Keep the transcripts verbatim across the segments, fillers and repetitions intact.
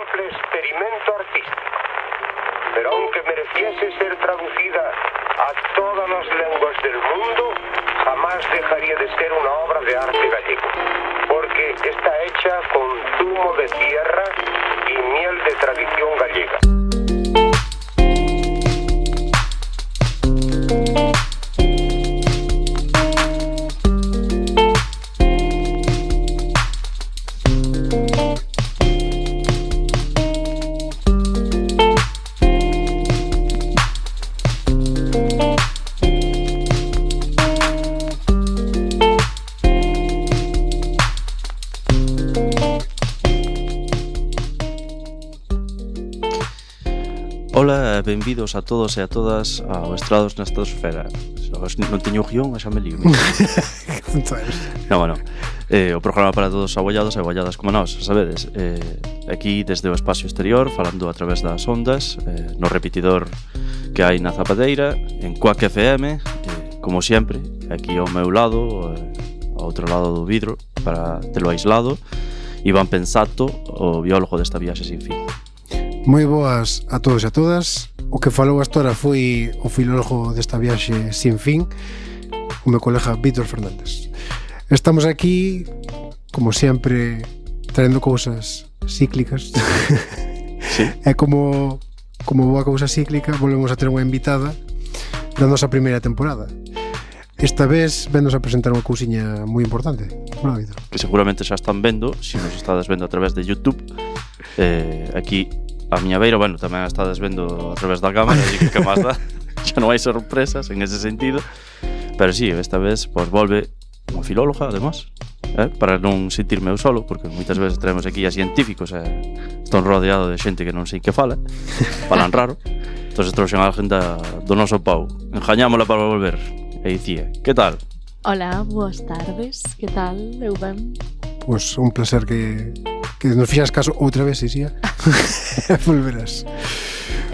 simple experimento artístico. Pero aunque mereciese ser traducida a todas las lenguas del mundo, jamás dejaría de ser una obra de arte gallego, porque está hecha con zumo de tierra y miel de tradición gallega. Ola, benvidos a todos e a todas ao Estrados na Estratosfera. Non teño guión, xa me lío. Non, bueno, eh, o programa para todos abollados e abolladas como nós, sabedes. Eh, aquí desde o espacio exterior, falando a través das ondas, eh, no repetidor que hai na Zapadeira, en Quack F M, eh, como sempre, aquí ao meu lado, eh, ao outro lado do vidro, para telo aislado, Iván Pensato, o biólogo desta viaxe sin fin. Moi boas a todos e a todas. O que falou hasta ahora foi o filólogo desta viaxe sin fin, o meu colega Víctor Fernández. Estamos aquí, como sempre, traendo cousas cíclicas. Sí. E como, como boa cousa cíclica, volvemos a ter unha invitada da nosa primeira temporada. Esta vez vennos a presentar unha cousiña moi importante. Bueno, Víctor. Que seguramente xa están vendo, se nos estades vendo a través de YouTube. Eh, aquí a miña beira, bueno, tamén a estades vendo a través da cámara, así que que máis dá, xa non hai sorpresas en ese sentido. Pero sí, esta vez, pois, volve unha filóloga, además, eh, para non sentirme eu solo, porque moitas veces traemos aquí a científicos e eh, están rodeado de xente que non sei que fala, falan raro. Entón, trouxen a alguén da, do noso Pau. Enjañámola para volver. E dicía, que tal? Hola, boas tardes, que tal? Eu ben? Pois un placer que, que nos fixas caso outra vez, Isia. Volverás.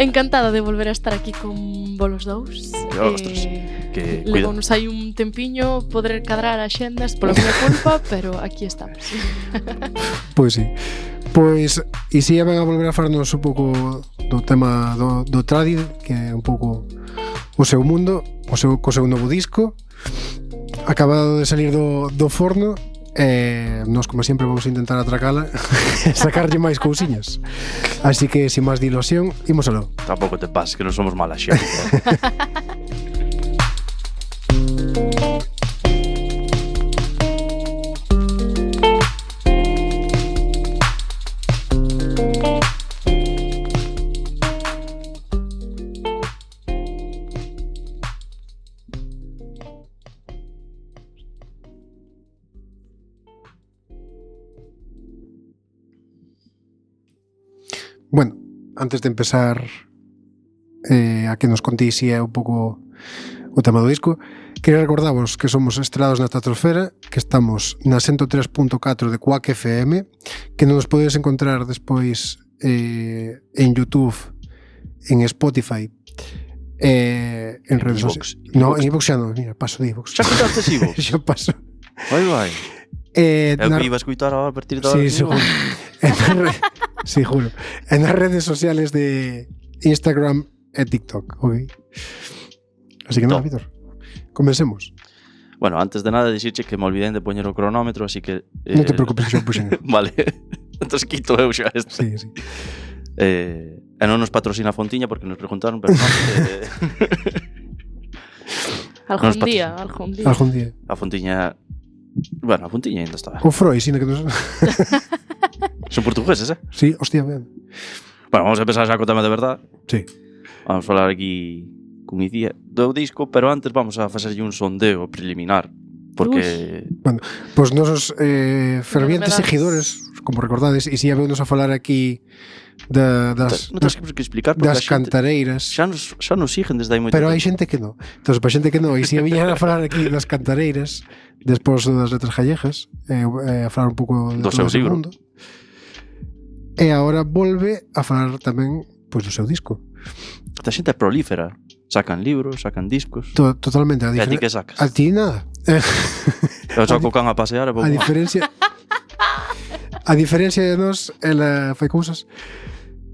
Encantada de volver a estar aquí con volos dous. Ostras, eh, que Levonos hai un tempiño poder cadrar axendas pola miña culpa, pero aquí estamos. Pois sí. Pois Isia ven a volver a farnos un pouco do tema do, do tradi, que é un pouco o seu mundo, o seu, co seu novo disco acabado de salir do, do forno. E nós, como sempre, vamos a intentar atracala e sacarlle máis cousiñas. Así que, sin máis dilusión, imos aló. Tampouco te pases, que non somos mala xente. Bueno, antes de empezar eh, a que nos contéis si é un pouco o tema do disco, quería recordavos que somos Estrados na Estratosfera, que estamos na ciento tres punto catro de Quack F M, que non nos podedes encontrar despois eh, en YouTube, en Spotify, eh, en redes sociales. No, en iVoox xa non, mira, paso de iVoox. Xa quitaste iVoox? Xa paso. Vai, vai. Eh, É o na... que iba a escutar a partir de ahora. Sí, seguro. re... Sí, juro. En las redes sociales de Instagram e TikTok, ok. Así que nada, Víctor, comencemos. Bueno, antes de nada dixirche que me olvidei de poñer o cronómetro, así que... Eh... Non te preocupes, que xa puxen. Vale, entón quito eu xa este. Sí, sí. Eh, e non nos patrocina Fontiña porque nos preguntaron, pero non... Eh... algún no día, algún día. Algún día. A Fontiña... Bueno, a Fontiña ainda estaba. O Freud, sino que nos... Son portugueses, eh? Sí, hostia, ben. Bueno, vamos a empezar xa co tema de verdad. Sí. Vamos a falar aquí con Icía do disco, pero antes vamos a facerlle un sondeo preliminar, porque... Uf. Bueno, pois pues nosos eh, fervientes seguidores, como recordades, e si habemos a falar aquí da, das, non tens que explicar porque das cantareiras. Xa nos, xa nos siguen desde hai moito pero tempo. hai xente que non. Entón, para xente que non, e si viñan a falar aquí das cantareiras, despois das letras gallegas, eh, eh, a falar un pouco do seu libro. Mundo. E agora volve a falar tamén pois do seu disco. Esta xente é prolífera. Sacan libros, sacan discos. To, totalmente. A, difer- a ti que sacas? A ti nada. Eu saco can a pasear e vou... A diferencia... A diferencia de nós, ela fai cousas.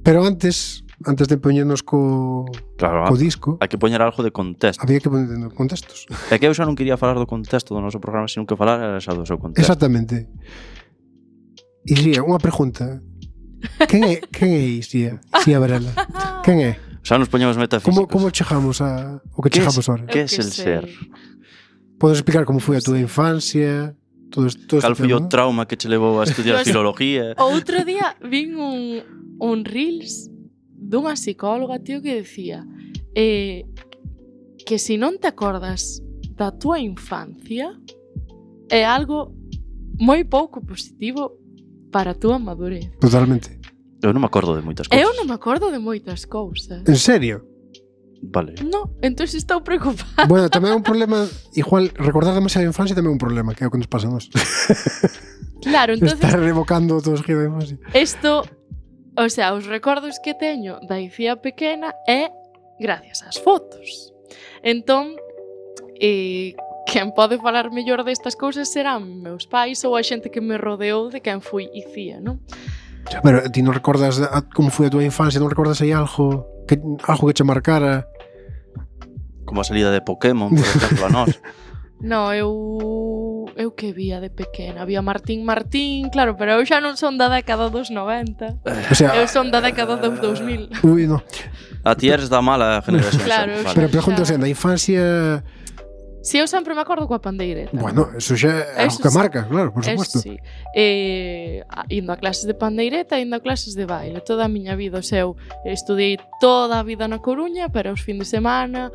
Pero antes, antes de poñernos co, claro, co disco, hai que poñer algo de contexto. había que poñer contextos. É que eu xa non quería falar do contexto do noso programa, sino que falar era xa do seu contexto. Exactamente. Ixía, unha pregunta. Quen é, quen é Ixía? Ixía Varela. Quen é? Xa nos poñemos metafísicos. Como, como chegamos a o que chegamos ahora? Que é el ser? Podes explicar como foi a túa infancia? Todo, todo Cal foi tema, o trauma que che levou a estudiar Pues, filología? Outro día vin un, un reels dunha psicóloga, tío, que decía eh, que se non te acordas da túa infancia é algo moi pouco positivo para a túa madurez. Totalmente. Eu non me acordo de moitas cousas. Eu non me acordo de moitas cousas. En serio? Vale. No, entón estou preocupada. Bueno, tamén é un problema, igual, recordar demasiado a infancia tamén é un problema, que é o que nos pasa a nos. Claro, entonces Estar revocando todo os giros da infancia. isto, o sea, os recordos que teño da Icía pequena é gracias ás fotos. Entón, eh, quen pode falar mellor destas cousas serán meus pais ou a xente que me rodeou de quen fui Icía, non? Pero ti non recordas a, como foi a túa infancia, non recordas aí algo que, algo que che marcara? Como a salida de Pokémon, por exemplo, a nós. No, eu eu que vía de pequena, vía Martín Martín, claro, pero eu xa non son da década dos noventa. O sea, Eu son da década dos dous mil. Ui, no. A ti eres da mala generación. Claro, xa, Pero vale. pregunto, sen, da infancia... Si, eu sempre me acordo coa pandeireta. Bueno, eso xa é algo Eso que sí. marca, claro, por Eso supuesto. sí. Eh, a- indo a clases de pandeireta, indo a clases de baile. Toda a miña vida, o seu, estudei toda a vida na Coruña, pero os fin de semana,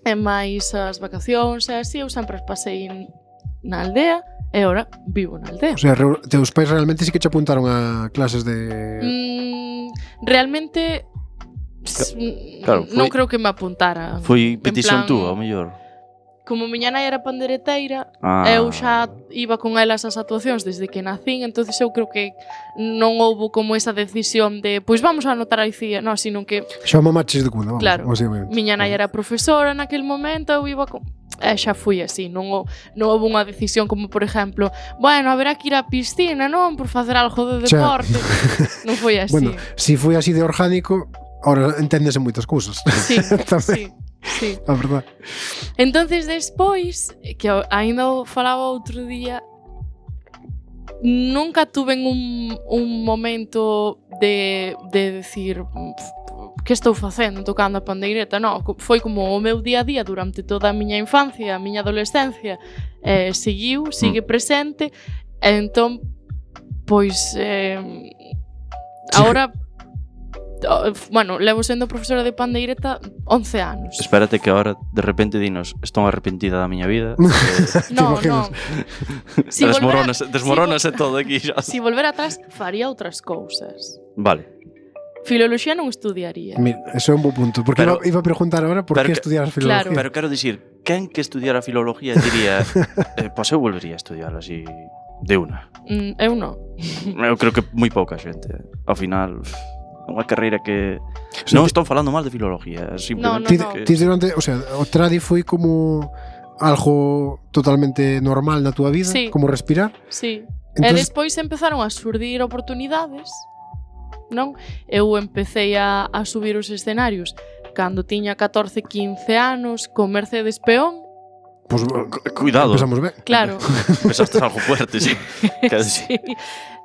e máis as vacacións, e así, eu sempre as pasei en- na aldea, e ora vivo na aldea. O sea, re, teus pais realmente sí que che apuntaron a clases de... Mm, realmente s- claro, non foi- creo que me apuntara. Foi En petición plan, túa, ao mellor. Como miña nai era pandereteira, Ah. eu xa iba con elas ás actuacións desde que nacín, entonces eu creo que non houbo como esa decisión de pois vamos a anotar a Icía, non, sino que Xa mamaches de cuna, vamos, Claro. básicamente. miña nai era profesora naquel momento, eu iba con... E xa fui así, non, ho- non houve unha decisión como, por exemplo, bueno, haberá que ir á piscina, non? Por facer algo de Xa. deporte. Non foi así. Bueno, si foi así de orgánico, ahora enténdese moitas cousas. Sí, Tamén, sí, sí. a verdad. Entonces despois, que eu aínda o falaba outro día, nunca tuve un, un momento de, de decir que estou facendo tocando a pandeireta, non, foi como o meu día a día durante toda a miña infancia, a miña adolescencia, eh, seguiu, sigue presente, e entón, pois, eh, ahora, oh, bueno, levo sendo profesora de pandeireta once anos. Espérate que ahora de repente dinos estou arrepentida da miña vida. Eh, No, no. Si volvera, desmoronase, desmoronase todo aquí xa. si volver atrás, faría outras cousas. Vale. Filoloxía non estudiaría. Mira, eso é un bo punto, porque Pero- iba, iba a preguntar ahora por pero que que- estudiar filología. Claro. Pero quero dicir, quen que estudiara filología diría eh, pois eu volvería a estudiar así de una. Mm, eu non. Eu creo que moi pouca xente. Ao final, é unha carreira que... Non estou falando mal de filología, simplemente Ti, no, no. que... ti durante, o sea, o tradi foi como algo totalmente normal na túa vida, Sí. como respirar. Sí. E Entonces- despois empezaron a surdir oportunidades, non? Eu empecé a, a subir os escenarios cando tiña catorce, quince anos con Mercedes Peón. Pues, Cu- Cuidado, empezamos ben. Claro. pensaste algo fuerte, sí. Que, Sí.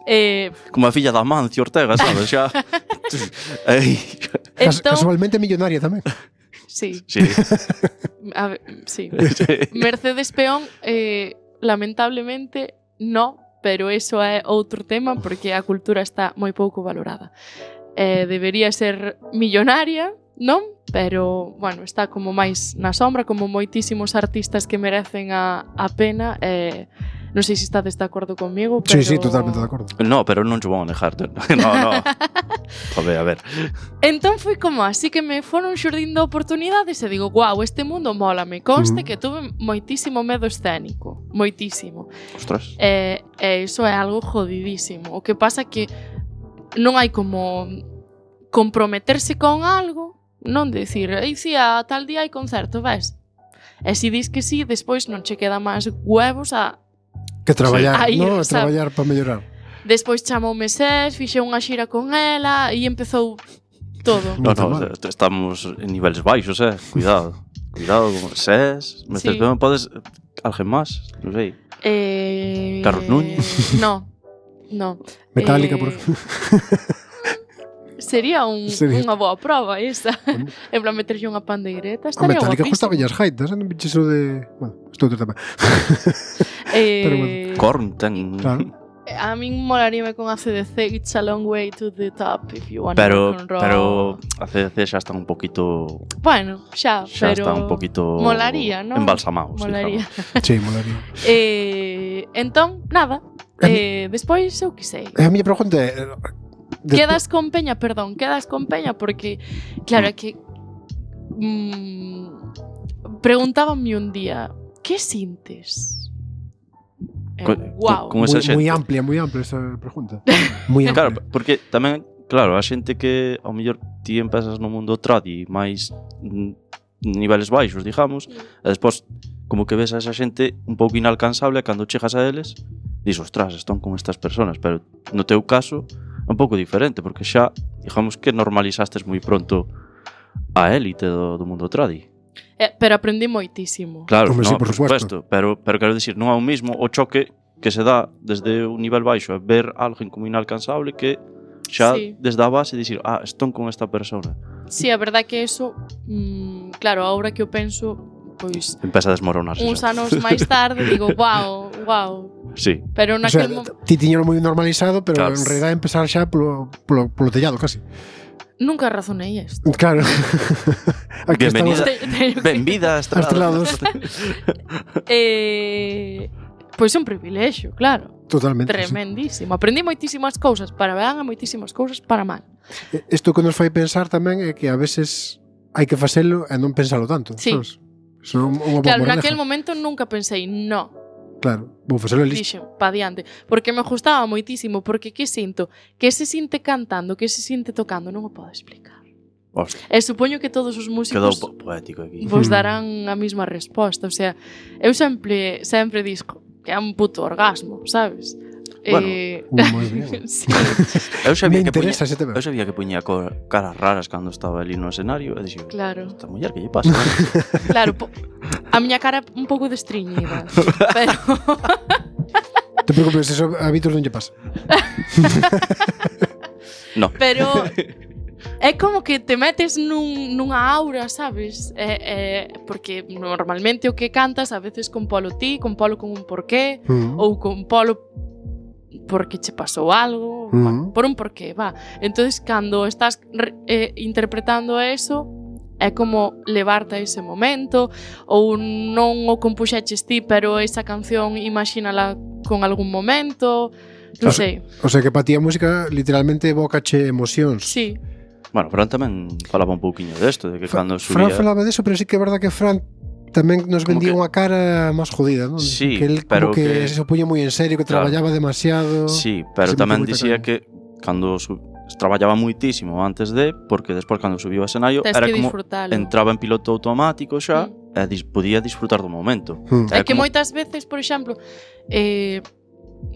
Eh, Como a filla da Mancio Ortega, sabes? Xa... Ei, Cas entón, casualmente millonaria tamén. sí, sí. a ver, sí. sí. Mercedes Peón, eh, lamentablemente, no, pero eso é outro tema porque a cultura está moi pouco valorada. Eh, debería ser millonaria, non? Pero, bueno, está como máis na sombra, como moitísimos artistas que merecen a, a pena. Eh, non sei se estades de acordo comigo, pero... Sí, sí, totalmente de acordo. No, pero non te vou a negar. No, no. Joder, a ver. Entón foi como así que me foron xurdindo oportunidades e digo, guau, este mundo mola, me conste Mm. que tuve moitísimo medo escénico, moitísimo. Ostras. E, e iso é algo jodidísimo. O que pasa que non hai como comprometerse con algo, non decir, ei, si, a tal día hai concerto, ves? E se dis que sí, despois non che queda máis huevos a... Que traballar, Sí. Aí, no? sabe. Traballar para mellorar. Despois chamoume Sés, fixe unha xira con ela e empezou todo. No, no, estamos en niveles baixos, eh. Cuidado. Cuidado con Sés. Me sí. Podes... Alguén máis? Non sei. Eh... Carlos Núñez? No. No. Metallica, eh... por... Sería, un, Sería unha boa prova esa. En plan, meterlle unha pandeireta. A Metallica gustaba as gaitas, non me iso de... Bueno, estou outro tamén. eh... Pero bueno. Korn ten... Claro. A min molaríame con A C D C, It's a long way to the top if you want pero, rock and roll. Pero A C D C xa está un poquito... Bueno, xa, xa pero... está un poquito... Molaría, non? Embalsamados, molaría. Sí, molaría. eh, entón, nada. Eh, despois, eu que sei. A miña pregunta é... Despo... Quedas con Peña, perdón, quedas con Peña porque, claro, é que... Mmm, preguntábanme un día, que sintes? Co wow. Con esa moi, moi amplia, moi amplia esa pregunta. Moi amplia. Claro, porque tamén, claro, a xente que ao mellor ti empezas no mundo tradi máis niveles baixos, digamos, e despois como que ves a esa xente un pouco inalcanzable e cando chegas a eles, dis, ostras, están con estas personas, pero no teu caso é un pouco diferente, porque xa, digamos que normalizastes moi pronto a élite do, do mundo tradi. Eh, pero aprendí moitísimo. Claro, Como no, sí, por, por supuesto, pero, pero quero dicir, non é o mismo o choque que se dá desde un nivel baixo a ver a alguén como inalcanzable que xa sí. Desde a base dicir, ah, estón con esta persona. Sí, a verdade que eso, mmm, claro, agora que eu penso, pois... Empeza a desmoronarse. Uns anos máis tarde digo, wow, wow. Sí. Pero naquel o sea, ti tiñero moi normalizado, pero claro. En realidad empezar xa polo, polo, polo tellado, casi. Nunca razonei isto. Claro. Bienvenida. Benvida a Estrelados. eh, pois é un privilexio, claro. Totalmente. Tremendísimo. Sí. Aprendí moitísimas cousas para ben e moitísimas cousas para mal. Isto que nos fai pensar tamén é que a veces hai que facelo e non pensalo tanto. Sí. Sabes? Eso é unha boa claro, moraleja. naquel momento nunca pensei, no. Claro, vou facelo listo. Dixen, pa diante. Porque me gustaba moitísimo, porque que sinto? Que se sinte cantando, que se sinte tocando, non o podo explicar. Hostia. E supoño que todos os músicos quedou poético aquí. Vos darán a mesma resposta. O sea, eu sempre, sempre disco que é un puto orgasmo, sabes? Bueno, eh... moi ben. Sí. Eu sabía me que puña, interesa ese tema. Eu sabía que puña caras raras cando estaba ali no escenario e dixo, claro. Esta muller que lle pasa? Claro, po... a miña cara é un pouco destriñida, pero te preocupes, eso a Vítor non lle pasa. No. Pero é como que te metes nun, nunha aura, sabes? É, é, porque normalmente o que cantas a veces con polo ti, con polo con un porqué, uh-huh. ou con polo porque che pasou algo, uh-huh. bueno, por un porqué, va. Entonces, cando estás eh, interpretando eso, é como levarte a ese momento, ou non o compuxeches ti, pero esa canción imagínala con algún momento, non sei. O sea que para ti a música literalmente evocache emocións. Sí. Bueno, Fran tamén falaba un pouquiño desto, de que Fra cando subía... Fran falaba deso, pero sí que é verdad que Fran tamén nos vendía que... unha cara máis jodida, non? Sí, que él pero como que, que se puña moi en serio, que claro. Traballaba demasiado. Sí, pero tamén dicía cara. Que cando su... traballaba muitísimo antes de, porque despois cando subiu ao escenario Tens era como disfrutalo. Entraba en piloto automático xa mm. e dis podía disfrutar do momento. Mm. É que como... moitas veces, por exemplo, eh,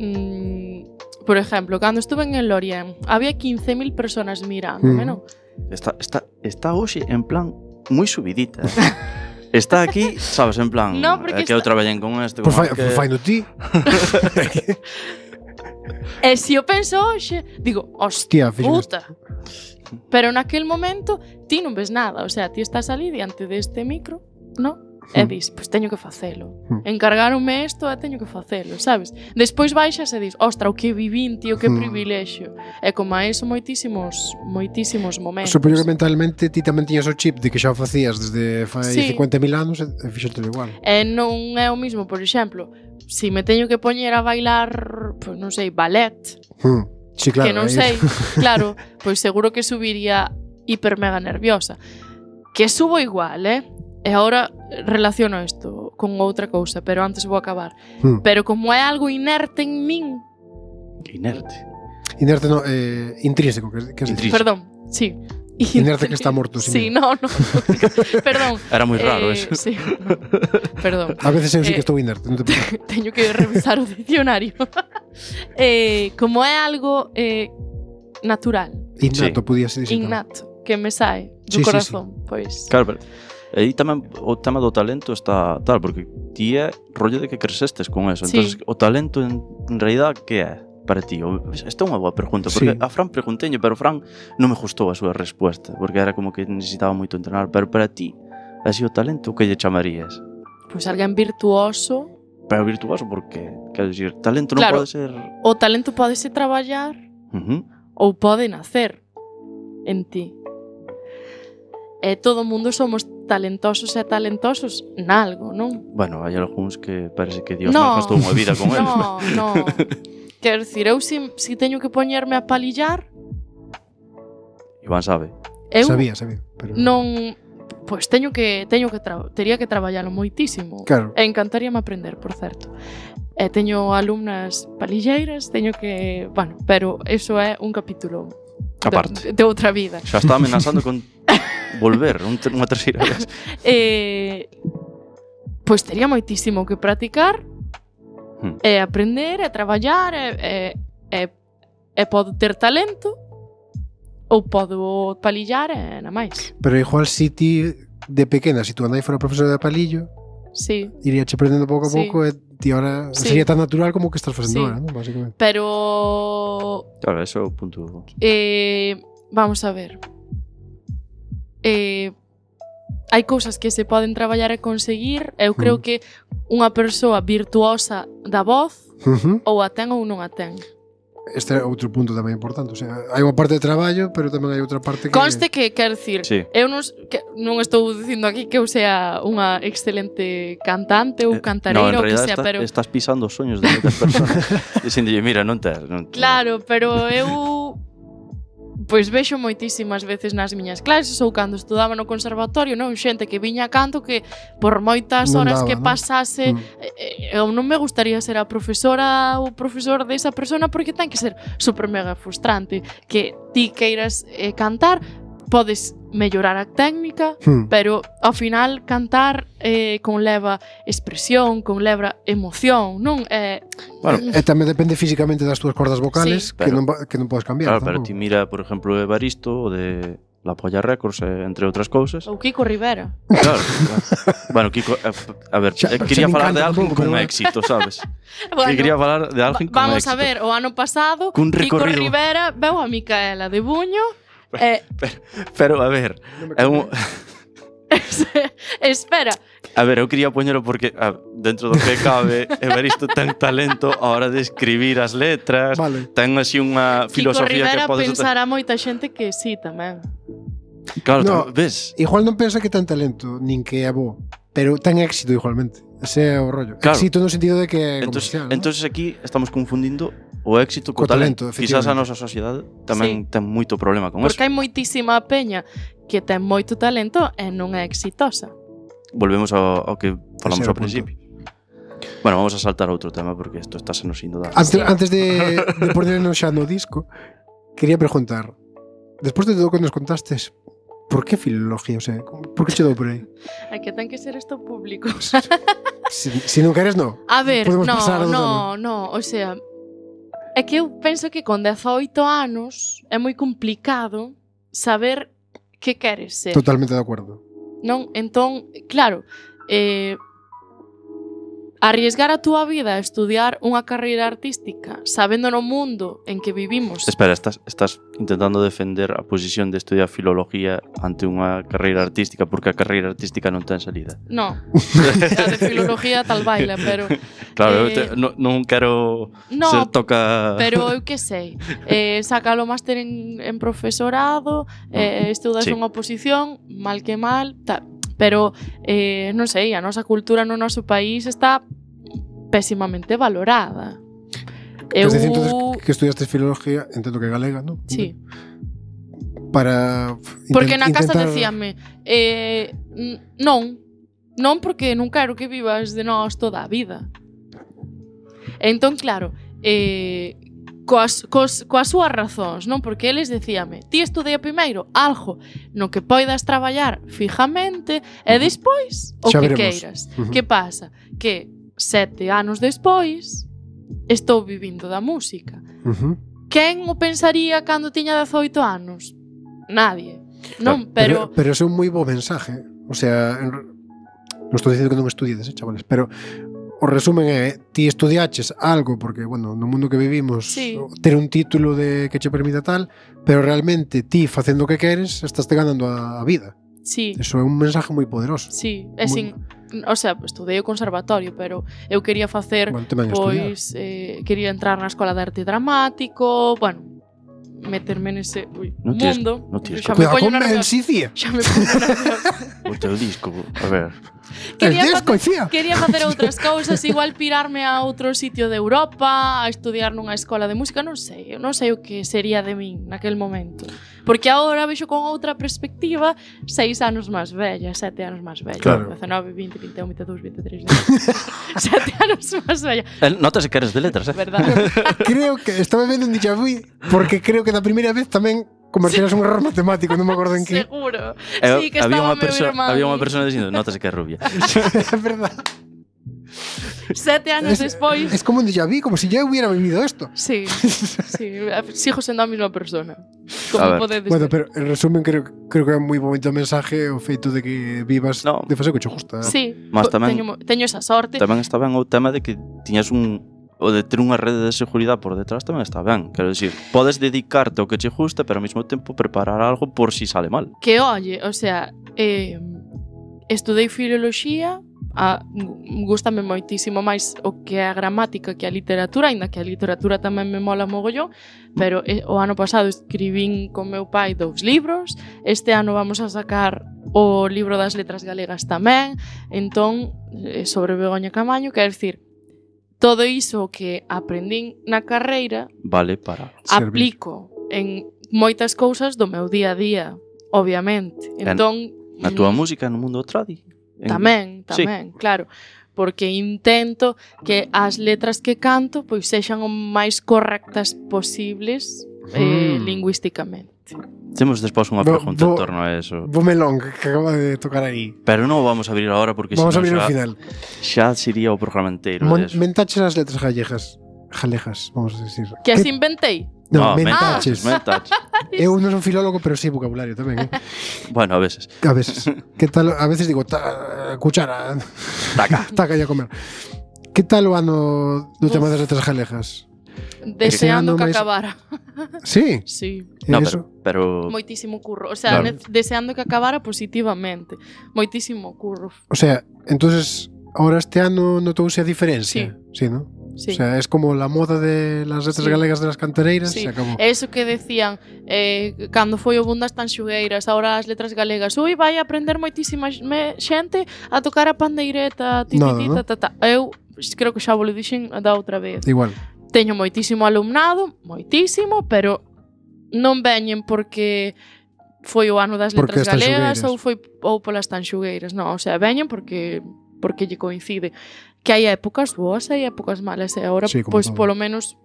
mm, por exemplo, cando estuve en el Lorient, había quince mil personas mirándome, mm. non? Está, está, está hoxe en plan moi subidita. Está aquí, sabes, en plan no, é que está... eu traballei con este Por fai, que... fai no ti. E se eu penso hoxe, digo, hostia, puta. Pero naquel momento ti non ves nada, o sea, ti estás ali diante deste micro, non? E dis, pois teño que facelo. Encargaronme isto e teño que facelo, sabes? Despois baixas e dis, ostra, o que vivín, tío, que privilexio. E como a eso moitísimos, moitísimos momentos. Supoño que mentalmente ti tamén tiñas o chip de que xa o facías desde fai sí. cincuenta mil anos e fixételo igual. E non é o mismo, por exemplo, si me teño que poñer a bailar, pois non sei, ballet, hmm. sí, claro, que non sei, claro, pois seguro que subiría hiper mega nerviosa. Que subo igual, eh? E agora relaciono isto con outra cousa, pero antes vou acabar. Hmm. Pero como é algo inerte en min... Inerte? Inerte no, eh, intrínseco, que, que es intrínseco. Perdón, sí. Inerte que está morto. Sí, no, no. Perdón. Era moi raro eh, eso. Sí, no. Perdón. A veces eu sí que estou inerte. Non te teño que revisar o dicionario. eh, como é algo eh, natural. Innato, Sí. podía ser dicir. Innato, que me sae do Sí, sí, corazón, pois. Claro, pero aí tamén o tema do talento está tal, porque ti é rollo de que crecestes con eso. Sí. Entonces, o talento en, en realidad que é para ti? O, esta é unha boa pregunta, porque Sí. a Fran pregunteño, pero Fran non me gustou a súa resposta, porque era como que necesitaba moito entrenar, pero para ti, así o talento, que lle chamarías? Pois alguén virtuoso. Pero virtuoso, porque, quero dicir, talento non Claro. pode ser... O talento pódese traballar Uh -huh. ou pode nacer en ti. E todo o mundo somos talentosos e talentosos nalgo, non? Bueno, hai algúns que parece que Dios No. non gastou unha vida con eles. No, no. Quero dicir, eu si, si teño que poñerme a palillar, Iván sabe. eu Sabía, sabía. Pero... non... Pois teño que teño que tra tería que traballalo moitísimo. Claro. E encantaríame aprender, por certo. E teño alumnas palilleiras, teño que, bueno, pero eso é un capítulo Aparte. de, de outra vida. Xa está amenazando con volver un, unha terceira vez. Eh, pois tería moitísimo que practicar Hmm. e aprender e traballar e, e, e, e podo ter talento ou podo palillar e na máis. Pero igual si ti de pequena, si tu andai fora profesora de palillo, Sí, iríache aprendendo pouco a Sí. pouco e ti ahora Sí. sería tan natural como que estás facendo Sí. ahora, ¿no? Básicamente. pero Claro, eso é o punto. eh, vamos a ver. Eh, hai cousas que se poden traballar e conseguir. Eu creo Mm. que unha persoa virtuosa da voz Uh -huh. ou a ten ou non a ten. Este é outro punto tamén importante, o sea, hai unha parte de traballo, pero tamén hai outra parte que Conste que, quero dicir, Sí. eu non, que, non estou dicindo aquí que eu sea unha excelente cantante ou Eh, cantareira no, en ou que realidad sea, está, pero estás pisando os soños de moitas persoas. Dicíndolle, mira, non tes. Non, claro, pero eu pois vexo moitísimas veces nas miñas clases ou cando estudaba no conservatorio, non, xente que viña a canto que por moitas Non horas daba, que non? pasase Mm. eh, eu non me gustaría ser a profesora ou profesor desa persona porque ten que ser super mega frustrante que ti queiras eh, cantar, podes mellorar a técnica, Hmm. pero ao final cantar eh, conleva expresión, conleva emoción, non? Eh, Bueno, E tamén depende físicamente das túas cordas vocales, Sí. que, Pero- non, va- que non podes cambiar. claro, pero tampouco. ti mira, por exemplo, Evaristo, o de La Polla Records, eh, entre outras cousas. ou Kiko Rivera. Claro. Bueno, Kiko, eh, a ver, Xa- eh, xa quería me falar de encanta alguén tampouco, con pero bueno. éxito, sabes? Bueno, Que quería falar de alguén va- con vamos éxito. a ver, o ano pasado Cun Kiko recorrido. Rivera veu a Micaela de Buño e Pero, a ver, Non me é un... espera, A ver, eu quería poñelo porque a, dentro do que cabe, Evaristo ten talento a hora de escribir as letras, Vale. ten así unha Kiko filosofía Rivera que podes... pensará moita xente que sí tamén. Claro, No. tam- ves? Igual non pensa que ten talento, nin que é bo, pero ten éxito igualmente. Ese é o rollo. Claro. Éxito no sentido de que é Entonces, comercial, ¿no? entonces aquí estamos confundindo o éxito co, Co talento, talento. Quizás a efectivamente. nosa sociedade tamén ten moito problema con Porque eso. hai moitísima peña que ten moito talento e non é exitosa. Volvemos ao, ao que falamos Ese é o ao punto. principio. Bueno, vamos a saltar a outro tema porque isto está se nos indo dar. Antes, Sí. antes de, de ponernos xa no disco, quería preguntar, despois de todo o que nos contastes, por que filología? O sea, por que che dou por aí? É que ten que ser isto público. Si, si non queres, no. A ver, Podemos no, pasar ao no, no, o sea, é que eu penso que con dezaoito anos é moi complicado saber que queres ser. Totalmente de acuerdo. Non? Entón, claro, eh, arriesgar a túa vida a estudiar unha carreira artística sabendo no mundo en que vivimos. Espera, estás, estás intentando defender a posición de estudiar filología ante unha carreira artística porque a carreira artística non ten salida. No, a de filología tal baila, pero Claro, eu Eh, te, non, non quero no, ser toca... pero eu que sei, eh, sácalo máster en, en profesorado, eh, estudas Sí. unha oposición, mal que mal, tal. Pero, eh, non sei, a nosa cultura no noso país está pésimamente valorada. Eu... Eu... Es decir, entonces, que estudiaste filología, entendo que galega, ¿no? Sí, Para porque na inten- casa intentar- decíame, eh, n- non, non porque non quero que vivas de nós toda a vida. Entón, claro, eh, coas, cos, coas súas razóns, non? Porque eles decíame, ti estudea primeiro algo no que poidas traballar fijamente e despois o Xa que veremos. queiras. Ujú. Que pasa? Que sete anos despois estou vivindo da música. Uh-huh. Quen o pensaría cando tiña dezoito anos? Nadie. Non, pero... Pero, pero ese é un moi bo mensaje. O sea, en... non estou dicindo que non estudiades, eh, chavales, pero o resumen é, ti estudiaches algo, porque, bueno, no mundo que vivimos, sí. ter un título de que che permita tal, pero realmente ti, facendo o que queres, estás te ganando a, a vida. Sí. Eso é un mensaje moi poderoso. Sí, é Muy... sin... O sea, estudei o conservatorio, pero eu quería facer, bueno, pois, eh, quería entrar na escola de arte dramático, bueno, meterme nese ui, no tienes, mundo. No tienes, Cuidado con Mencía. Xa me pongo nerviosa. O teu disco, a ver. Quería el disco, facer, quería facer outras cousas, igual pirarme a outro sitio de Europa, a estudiar nunha escola de música, non sei, eu non sei o que sería de min naquel momento. Porque agora vexo con outra perspectiva, seis anos máis bella, sete anos máis bella, claro. dezanove, vinte, vinte e un, vinte e dous, vinte e tres, sete anos máis bella. Notase que eres de letras, eh? Verdad. Creo que estaba vendo un déjà vu, porque creo que da primeira vez tamén convertirás un error matemático, non me acordo en que. Seguro. Eh, Sí, que había estaba unha meu perso- irmán. había unha persona dicindo, notase que é rubia. É verdad. Sete anos Es, despois. es como un déjà vu, como si ya hubiera vivido esto. Sí, sí, sigo sendo a mesma persona. A Como ver. podedes Bueno, ver. pero en resumen creo, creo que é un moi bonito mensaje o feito de que vivas No. de facer o que che gusta. Sí, Mas po- tamén- teño, mo- teño esa sorte. Tamén está ben o tema de que tiñas un o de ter unha rede de seguridade por detrás tamén está ben. Quero dicir, podes dedicarte ao que che gusta, pero ao mesmo tempo preparar algo por si sale mal. Que oye, o sea, eh, estudei filoloxía, a, gustame moitísimo máis o que é a gramática que a literatura, aínda que a literatura tamén me mola mogollón, pero eh, o ano pasado escribín con meu pai dous libros, este ano vamos a sacar o libro das letras galegas tamén, entón, eh, sobre Begoña Camaño, quer dicir, todo iso que aprendín na carreira Vale para... Servir. aplico en moitas cousas do meu día a día, obviamente. Entón, Na túa música, no mundo tradi. En... tamén, Sí. tamén, claro, porque intento que as letras que canto pois sexan o máis correctas posibles eh, Mm. lingüísticamente. Temos despois unha Bo- pregunta en bo- torno a eso. Bo melón que que acaba de tocar aí. Pero non o vamos a abrir agora porque Vamos a senón abrir xa, ao final. xa sería o programa inteiro Mon- deso. Mentaches as letras gallegas. Jalejas, vamos a decir. Que as inventei. No, No, mentaches. mentaches. Eu non son filólogo, pero sí vocabulario tamén, eh? Bueno, a veces. A veces. Que tal, a veces digo, ta, cuchara, Taca. taca ya a comer. Que tal o ano do tema das letras galegas? Deseando que máis- acabara. Sí, Sí, No, eso. pero, pero moitísimo curro. O sea, Claro. ne- deseando que acabara positivamente. Moitísimo curro. O sea, entonces ahora este ano notouse a diferencia. Sí, ¿no? Sí. O sea, es como la moda de las letras Sí. galegas de las cantereiras, Sí. se acabó. Eso que decían eh, cando foi o boom das tanxugueiras, agora as letras galegas, ui, vai aprender moitísima me- xente a tocar a pandeireta, ti, Nada, ti, ti, ¿no? ta, ta, ta. Eu creo que xa vos lo dixen da outra vez. Igual. Teño moitísimo alumnado, moitísimo, pero non veñen porque foi o ano das Porque letras as galegas tanxugueiras. ou foi ou polas tanxugueiras, non, o sea, veñen porque porque lle coincide. Que hai épocas boas e hai épocas malas, e agora, Sí, como pois, todo. polo menos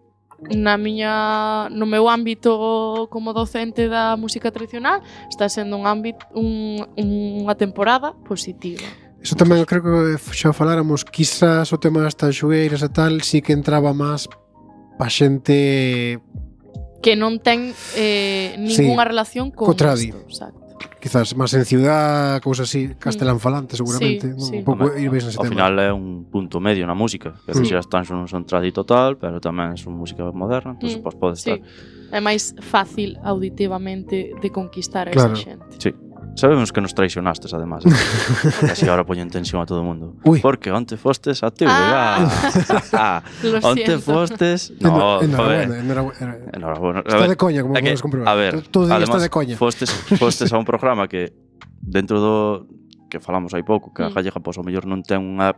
na miña no meu ámbito como docente da música tradicional está sendo un ámbito un, unha temporada positiva. Eso tamén eu creo que xa faláramos, quizás o tema das tanxugueiras e tal, sí que entraba máis pa xente, Que non ten eh, ninguna relación con co tradi. isto, exacto. quizás máis en ciudad, cousas así, castelán falante seguramente, Sí, non? sí. Un pouco Home, ir veis nese ao tema. final é un punto medio na música. Que Sí. decir, as tanxos non son tradi total, pero tamén son música moderna, entón Mm, pues, pode Sí. estar. É máis fácil auditivamente de conquistar a Claro. esa xente. Sí. Sabemos que nos traicionastes, además. Eh? Porque así ahora poñen tensión a todo o mundo. Ui. Porque onte fostes a T V G. Ah. Ah. Lo Onte siento. fostes... Eno- No, enhorabuena, joder. enhorabuena. Enhorabuena. A Está ver, de coña, como é que, podes comprobar. a ver, Todo día además, está de coña. Fostes, fostes a un programa que dentro do que falamos hai pouco, que a Mm. gallega pois ao mellor non ten unha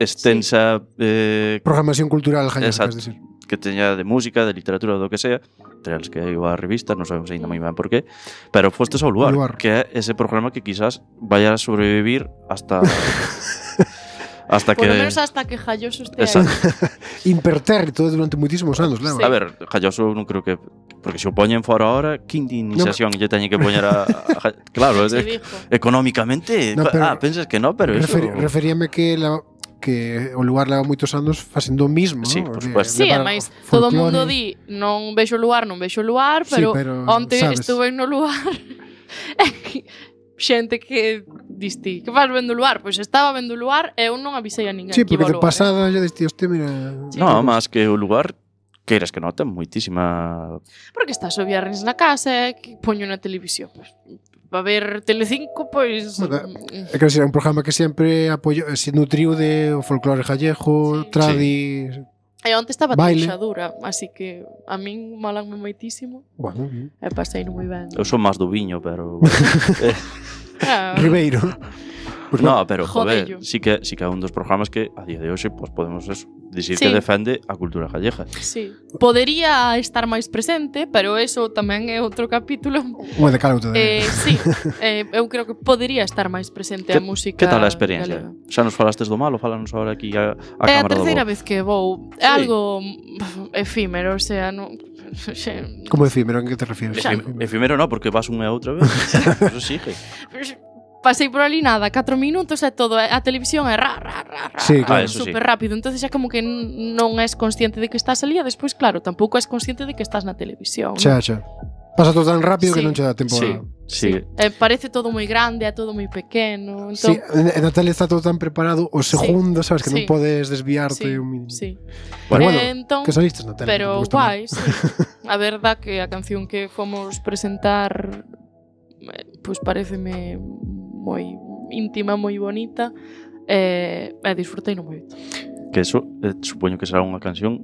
extensa eh, Programación cultural, Jaime, Exacto. queres decir. que teña de música, de literatura, do que sea, entre as que hai a revista, non sabemos ainda moi ben por qué, pero fostes ao lugar, Lugar. que é ese programa que quizás vaya a sobrevivir hasta hasta Por que lo menos hasta que Jalloso estea Exacto. aí. Impertérrito durante moitísimos anos, lembra? A ver, Jalloso non creo que porque se o poñen fora ahora, que iniciación lle teñen que poñer a, a claro, Se é, dijo. económicamente, No, pero- ah, pensas que no, pero Referi- eso referíame que la, que o lugar leva moitos anos facendo o mismo, sí, ¿no? por supuesto. Sí, ademais, todo o mundo di non vexo o lugar, non vexo o lugar, pero, sí, pero onte sabes. Estuve no lugar xente que diste, que faz vendo o lugar? Pois estaba vendo o lugar e eu non avisei a ninguén. Sí, porque de pasada xa diste, hostia, mira... Sí. No, máis que o lugar, queiras que nota, moitísima... Porque estás o viernes na casa e que poño na televisión, pois... Para ver Telecinco, pois... Bueno, é que era un programa que sempre apoio, se nutriu de o folclore gallego, sí. Tradi... Sí. E onte estaba Teixadura, así que a min molanme moitísimo. Bueno, e pasei no moi ben. Eu son máis do viño, pero... ah. Ribeiro. Pues no, no, pero, joder, sí que, sí que é un dos programas que a día de hoxe pues, podemos eso, dicir sí. que defende a cultura gallega. Sí. Podería estar máis presente, pero eso tamén é outro capítulo. Unha de calo eh, Sí, eh, eu creo que podería estar máis presente a música Que tal a experiencia? Galega. Xa nos falastes do malo, falanos agora aquí a, a é cámara do bo. É a terceira vez que vou. É sí. algo efímero, o sea, non... Como efímero, en que te refieres? Efímero, efímero no, porque vas unha outra vez. Eso sigue. Pasei por ali nada, catro minutos e todo, a televisión é ra, ra, ra, ra, sí, claro. super sí. rápido, entonces xa como que non és consciente de que estás ali e despois, claro, tampouco és consciente de que estás na televisión. Xa, xa. Pasa todo tan rápido sí. que non che dá tempo sí. a... Sí. sí. Eh, parece todo moi grande, é todo moi pequeno. Entón... Sí, en a tele está todo tan preparado, o segundo, sí. sabes, que sí. non podes desviarte sí. un mínimo. Sí. Bueno, bueno entón, que saliste na tele. Pero guai, sí. A verdad que a canción que fomos presentar pois pues, pareceme moi íntima, moi bonita e, e disfrutei no moito. Que eso, eh, supoño que será unha canción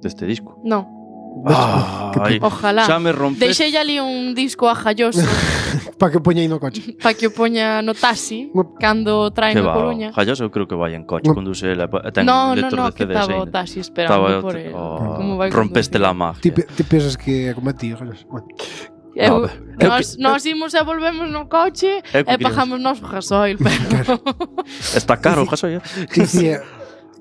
deste disco. No. Ah, ay, ojalá. Xa me rompes. Deixei ali un disco ajalloso para que poña aí no coche. Para que o poña no taxi cando traen a Coruña. Jalloso eu creo que vai en coche cando se la ten no, lector no, no, de C Ds. No, no, que estaba o taxi esperando por el. Oh, como vai rompeste la magia. Ti, ti pensas que é como a ti, Jalloso? Bueno. Eu, no, nos, nos imos e volvemos no coche e pagamos nos o gasoil, pero... Está caro o gasoil. Dicía,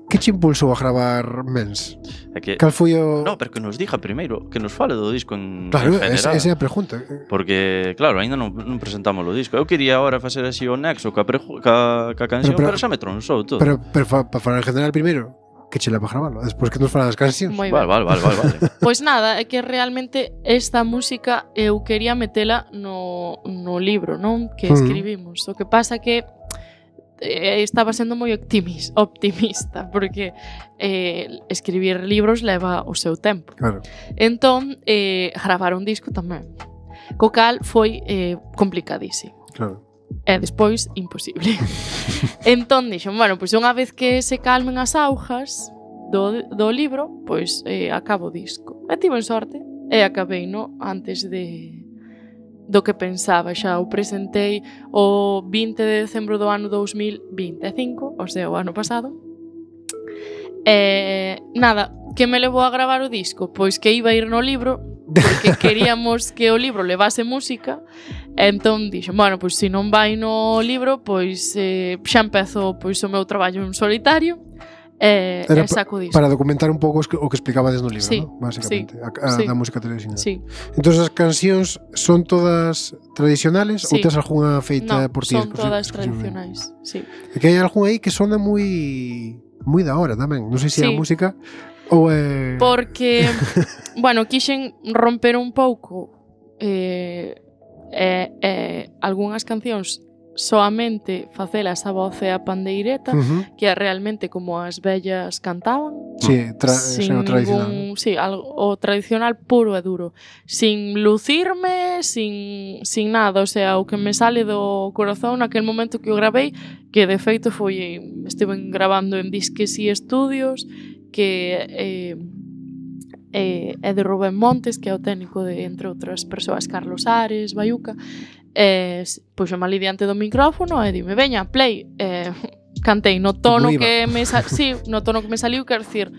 que che impulsou a gravar Mens? É que, Cal foi o... No, pero que nos diga primeiro, que nos fale do disco en, claro, en general. Claro, esa é a pregunta. Porque, claro, ainda non, non presentamos o disco. Eu quería agora facer así o nexo ca, preju, ca, ca canción, pero, pero, pero xa me tronsou todo. Pero, pero para falar en general primeiro, que che leva a gravarlo, despois que nos fala das cancións. Vale, vale, vale, vale, vale. Pois nada, é que realmente esta música eu quería metela no, no libro, non? Que escribimos. Mm. O que pasa que eh, estaba sendo moi optimis, optimista, porque eh, escribir libros leva o seu tempo. Claro. Entón, eh, gravar un disco tamén. Co cal foi eh, complicadísimo. Claro. E despois, imposible. Entón, dixen, bueno, pois unha vez que se calmen as augas do, do libro, pois eh, acabo o disco. E tiven sorte, e acabei, no, antes de do que pensaba. Xa o presentei o vinte de decembro do ano dous mil vinte e cinco, o sea, o ano pasado. E nada, que me levou a gravar o disco? Pois que iba a ir no libro, porque queríamos que o libro levase música. Entón dixen, bueno, pois se non vai no libro, pois eh, xa empezo pois o meu traballo en solitario e, e saco disco. Para documentar un pouco o que explicabades no libro, sí, ¿no? Básicamente, sí, a, a sí, da música tradicional. Sí. Entón as cancións son todas tradicionales sí. ou tes algunha feita no, por ti? son todas tradicionais, sí. É que hai algunha aí que sona moi moi da hora tamén, non sei se sí. é a música ou é... Porque, bueno, quixen romper un pouco eh, eh, eh, algunhas cancións soamente facelas a voz e a pandeireta, uh-huh. que é realmente como as vellas cantaban. Sí, tra sin o tradicional. Ningún, sí, algo, o tradicional puro e duro. Sin lucirme, sin, sin nada. O sea, o que me sale do corazón naquel momento que o gravei, que de feito foi, estiven grabando en Disques e Estudios, que eh, eh, é de Rubén Montes, que é o técnico de, entre outras persoas, Carlos Ares, Baiuca. Eh, puxome ali diante do micrófono e dime, veña, play. Eh, cantei no tono que me sa sí, no tono que me saliu, quero dicir,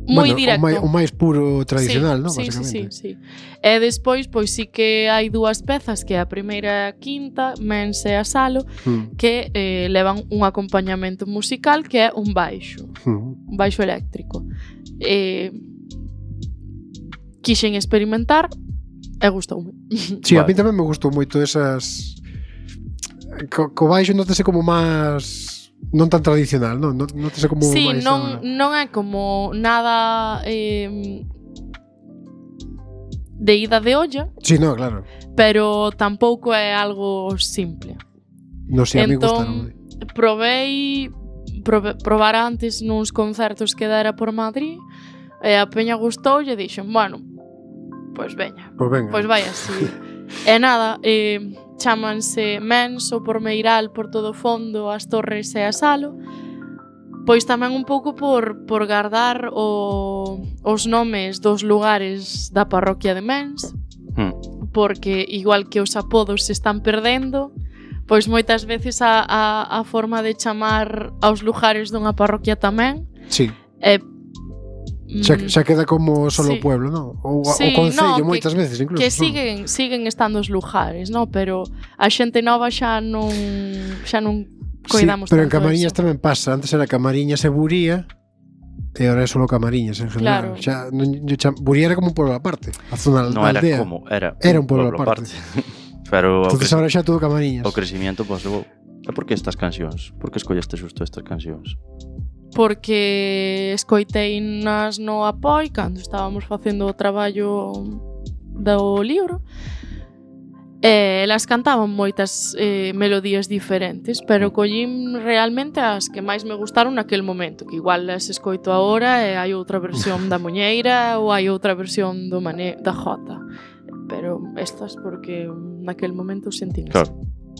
moi bueno, directo. O máis, o máis puro tradicional, sí, non? Sí, básicamente. sí, sí, sí. E despois, pois sí que hai dúas pezas, que é a primeira e a quinta, Mens e a Salo, hmm. que eh, levan un acompañamento musical que é un baixo, hmm. un baixo eléctrico. Eh, quixen experimentar e gustoume. Sí, vale. A mí tamén me gustou moito esas... Co, co baixo notase como máis... non tan tradicional, non? Non, non te sei como sí, máis non, agora. non é como nada eh, de ida de olla, Sí, no, claro. pero tampouco é algo simple. Non sei, a mí Entón, gustaron. Provei probe, probar antes nuns concertos que dera por Madrid e a peña gustou e dixen, bueno, pois veña, Pois venga. pois vai así. E nada, eh, chámanse Menso, por Meiral, por todo o fondo, as Torres e a Salo. Pois tamén un pouco por, por guardar o, os nomes dos lugares da parroquia de Mens, Mm. porque igual que os apodos se están perdendo, pois moitas veces a, a, a forma de chamar aos lugares dunha parroquia tamén Sí. é Xa, xa queda como solo o sí. pueblo, non? Ou Sí, o concello no, moitas que, veces incluso. que non? siguen siguen estando os lugares, no, pero a xente nova xa non xa non coidamos sí, pero en tanto Camariñas eso. tamén pasa. Antes era Camariñas e Buría e ahora é solo Camariñas en general. Claro. Xa, non, yo cha, Buría era como un pueblo aparte. A zona No da era aldea. como, era, Era un pueblo aparte. Pero o, Entonces creci- ahora xa todo Camariñas. o crecimiento, pois, levou. E por que estas cancións? Por que escolleste xusto estas cancións? Porque escoitei nas no Apoi cando estábamos facendo o traballo do libro. E elas cantaban moitas eh, melodías diferentes, pero collín realmente as que máis me gustaron naquel momento, que igual as escoito agora e hai outra versión da Muñeira ou hai outra versión do Mané, da Jota. Pero estas porque naquel momento sentín Claro.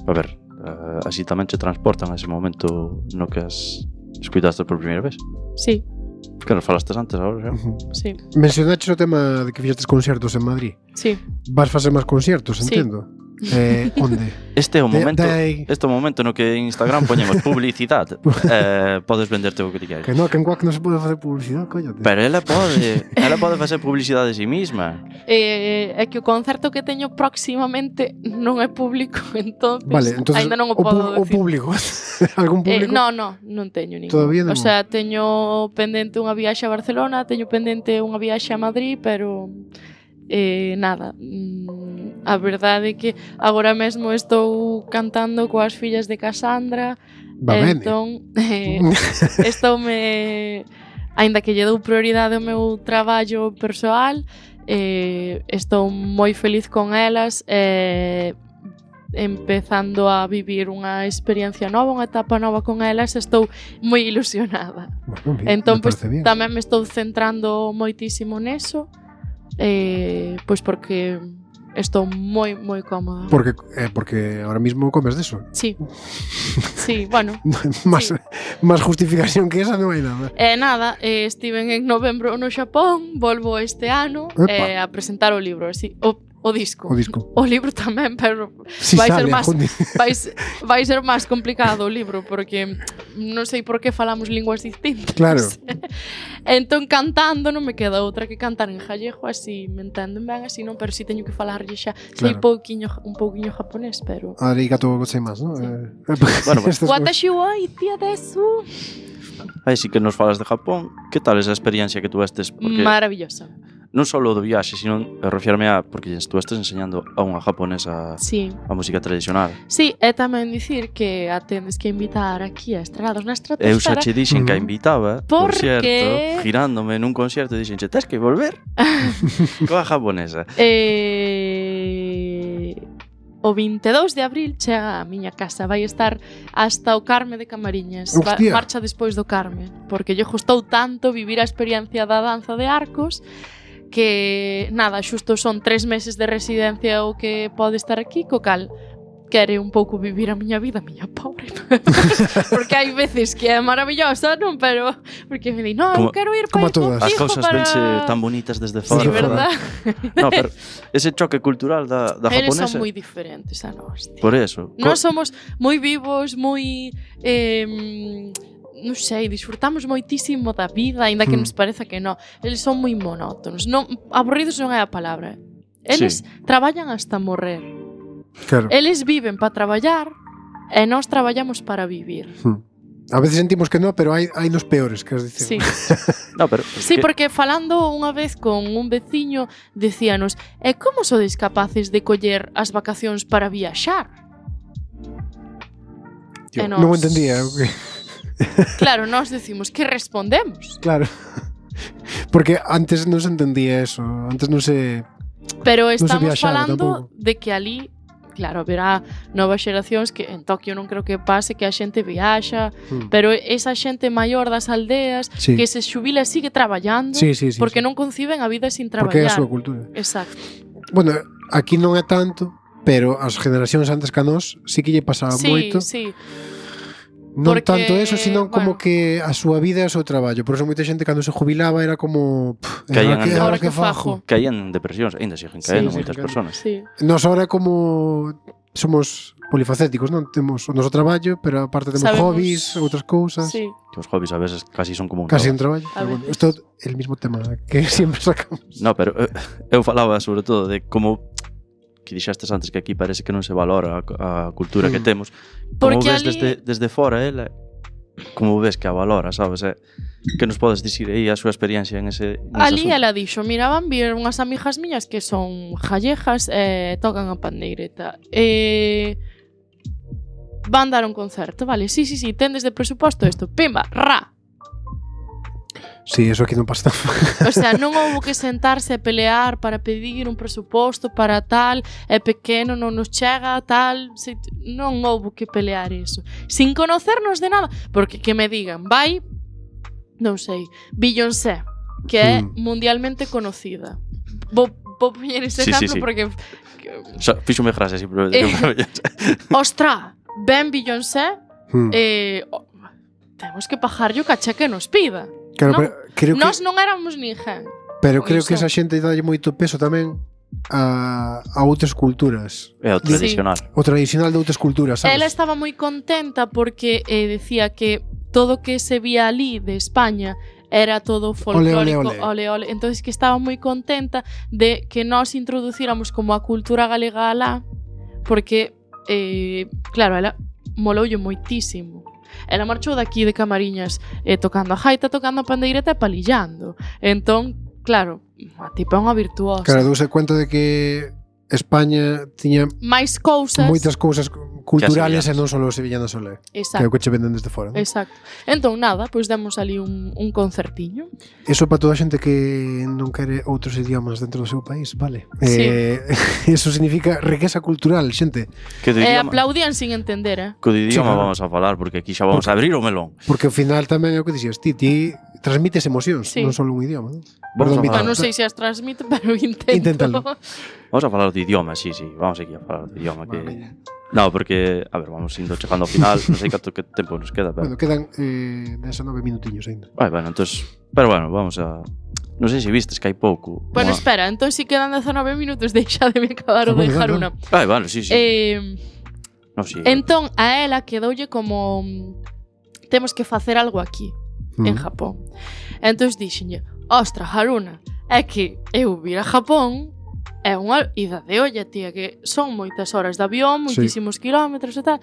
A ver, uh, así tamén che transportan a ese momento no que as escuitaste por primeira vez. Sí, Que nos falastes antes agora, xa. Ujú. sí, Mencionaches o tema de que fixestes concertos en Madrid. sí. Vas facer máis concertos, Sí. entendo. Eh, onde? Este é o De- momento, de- este é o momento no que en Instagram poñemos publicidade. eh, podes venderte o que ti queres. Que no, que en Quack non se pode facer publicidade, coñote. Pero ela pode, ela pode facer publicidade de si misma. Eh, é que o concerto que teño próximamente non é público, entonces, Vale, entonces ainda non o pu- podo o decir. público. Algún Eh, público? no, no, non teño ningún. Todavía non. O sea, teño pendente unha viaxe a Barcelona, teño pendente unha viaxe a Madrid, pero eh, nada. Mm, a verdade é que agora mesmo estou cantando coas fillas de Casandra. Va ben. Entón, eh, estoume, aínda que lle dou prioridade ao meu traballo persoal, eh, estou moi feliz con elas e empezando a vivir unha experiencia nova, unha etapa nova con elas, estou moi ilusionada. Bueno, bien, Entón, me pois, parece bien. tamén me estou centrando moitísimo neso, eh, pois porque estou moi, moi cómoda. Porque, eh, porque ahora mismo comes de eso. Sí, sí, bueno. Más, Sí. más justificación que esa non hai nada. E nada, eh, estiven en novembro no Xapón, volvo este ano Epa. eh, a presentar o libro, así, o, o disco. O disco. O libro tamén, pero Si vai ser sale, máis joder. vai, se- vai ser máis complicado o libro porque non sei por que falamos linguas distintas. Claro. Entón cantando non me queda outra que cantar en gallego, así me entenden ben, así non, pero si teño que falarlle xa. Sei Claro. pouquiño, un pouquiño japonés, pero Arigato gozaimasu, ¿no? Sí. Eh, Bueno, pues, estas cosas. Watashi wa itia desu. Aí sí que nos falas de Japón. Que tal esa experiencia que tuvestes? Porque Maravillosa. non só do viaxe, sino refiarme a porque estuvestes enseñando a unha japonesa Sí. a música tradicional. Sí, é tamén dicir que a tendes que invitar aquí a Estrados na Eu xa Estratosfera. che dixen que a Ujú. invitaba, por Porque- cierto, girándome nun concerto, dixenche, tes que volver coa japonesa. Eh, o veintidós de abril chega a miña casa, vai estar hasta o Carme de Camariñas. Va, Hostia. marcha despois do Carme, porque lle gustou tanto vivir a experiencia da danza de arcos que, nada, xusto son tres meses de residencia o que pode estar aquí, co cal quere un pouco vivir a miña vida, a miña pobre. Porque hai veces que é maravillosa, non? Pero porque me di, no, Como- eu quero ir como para todas. As contigo cousas para... vense tan bonitas desde Sí, fora. verdad? No, pero ese choque cultural da, da Eles japonesa. son moi diferentes a nós, tío. Por eso. Nós somos moi vivos, moi eh, non sei, disfrutamos moitísimo da vida, aínda que Hmm. nos pareza que non. Eles son moi monótonos. Non, aburridos non é a palabra. Eles Sí. traballan hasta morrer. Claro. Eles viven para traballar e nós traballamos para vivir. Hmm. A veces sentimos que no, pero hai, hai nos peores, queres Sí. dicir. No, pero Sí, que- porque falando unha vez con un veciño decíanos, e como sodes capaces de coller as vacacións para viaxar? Tío, E non nos- entendía. o que- Claro, nós decimos que respondemos. Claro. Porque antes non se entendía eso, antes non se Pero non se estamos viaxaba falando tampouco. de que ali, claro, haberá novas xeracións que en Tokio non creo que pase que a xente viaxa, Hmm. pero esa xente maior das aldeas Sí. que se xubila e sigue traballando Sí, sí, sí, porque sí. non conciben a vida sin Porque é a traballar. súa cultura. Exacto. Bueno, aquí non é tanto, pero as generacións antes que a nós sí que lle pasaba Sí, moito. sí. Non porque, tanto eso, sino como bueno. que a súa vida é o seu traballo. Por eso moita xente cando se jubilaba era como pff, Caían ahora que, en- ahora Ahora que que fajo. fajo. Caían en depresións, ainda siguen Sí, caendo sí, moitas sí, persoas. Sí. Nos ahora como somos polifacéticos, non? Temos o noso traballo, pero aparte temos Sabemos- hobbies, outras cousas. Sí. Que os hobbies a veces casi son como un Casi un traballo. traballo. A Pero bueno, veces. isto é el mismo tema que siempre sacamos. No, pero eh, eu falaba sobre todo de como que dixestes antes que aquí parece que non se valora a, a cultura que Mm. temos. Como Porque ves ali- desde, desde fora ela, como ves que a valora, sabes? Eh? Que nos podes dicir aí a súa experiencia en ese, en ese Ali asunto? ela dixo, mira, van vir unhas amigas miñas que son gallegas e tocan a pandeireta. E van dar un concerto, vale? Sí, sí, sí, tendes de presuposto isto. Pimba, ra. Sí, eso aquí non pasa tan O sea, non houbo que sentarse e pelear para pedir un presuposto para tal, é pequeno, non nos chega, tal, se, non houbo que pelear eso. Sin conocernos de nada, porque que me digan, vai, non sei, Beyoncé, que é Hmm. mundialmente conocida. Vou, vou poñer ese Sí, sí, exemplo sí. porque, O sea, fixo me frase así, pero... Eh. ostra, ben Beyoncé, Hmm. eh, oh, temos que pagarlle o caché que nos pida. Claro, non? pero creo que, Nós non éramos ninguén. pero con creo que iso. esa xente dalle moito peso tamén a, a outras culturas. É o Sí. tradicional. O tradicional de outras culturas, sabes? Ela estaba moi contenta porque eh, decía que todo que se vía ali de España era todo folclórico, ole, ole. ole, ole. Entonces que estaba moi contenta de que nós introducíramos como a cultura galega alá, porque, eh, claro, ela moloulle moitísimo. Ela marchou daqui de Camariñas eh, tocando a gaita, tocando a pandeireta e palillando. Entón, claro, a tipa é unha virtuosa. Claro, douse cuenta de que España tiña máis cousas. moitas cousas culturales e sevillanas. non só os sevillanos olé, que é Exacto. o que che venden desde fora. Non? Exacto. Entón, nada, pois demos ali un, un concertiño. Eso para toda a xente que non quere outros idiomas dentro do seu país, vale. Sí. Eh, eso significa riqueza cultural, xente, Que do E idioma, aplaudían sin entender, eh? co do idioma claro. vamos a falar, porque aquí xa vamos a abrir o melón. porque ao final tamén é o que dixías ti, ti transmites emocións, Sí. non só un idioma, non? Vamos a Perdón, falar. Ah, non sei se as transmite, pero intento. Inténtalo. Vamos a falar de idioma, sí, sí, vamos aquí a falar de idioma que... Vale. No, porque, a ver, vamos indo chegando ao final, non sei canto que tempo nos queda, pero... Bueno, quedan eh, desanove minutiños ainda. Ai, bueno, entonces, pero bueno, vamos a... Non sei se vistes que hai pouco. Bueno, unha- espera, entón si quedan dezanove minutos, deixademe acabar o Ah, de bueno, Haruna. Ai, vale, sí, sí. Eh, no, sí. entón, a ela quedoulle como mm, temos que facer algo aquí, Mm. en Japón. Entón dixenlle, ostra, Haruna, é que eu vir a Japón é unha ida de olla, tía, que son moitas horas de avión, Sí. moitísimos kilómetros e tal.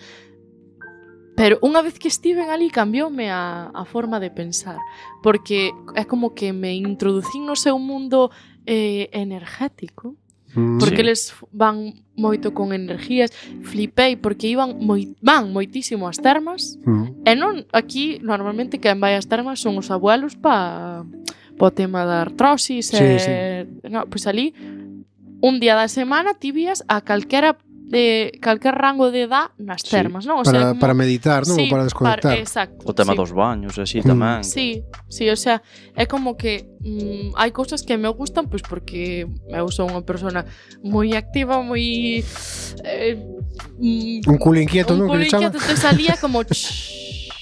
Pero unha vez que estiven ali cambioume a, a forma de pensar, porque é como que me introducín no seu mundo eh, energético, Mm. porque Sí. eles van moito con energías, flipei porque iban moi, van moitísimo ás termas, Mm. e non aquí normalmente quen vai ás termas son os abuelos pa po tema da artrosis Sí, e no, pois ali un día da semana ti vías a calquera de calquer rango de edad nas Sí. termas, non? O Para, sea, como- para meditar, non? Sí, Ou para desconectar. exacto. O tema sí. dos baños e así Mm. tamén. Sí, sí, o sea, é como que mm, hai cousas que me gustan pois porque eu sou unha persona moi activa, moi eh, mm, Un culo inquieto, un non? Que culo lle chama? inquieto, te salía como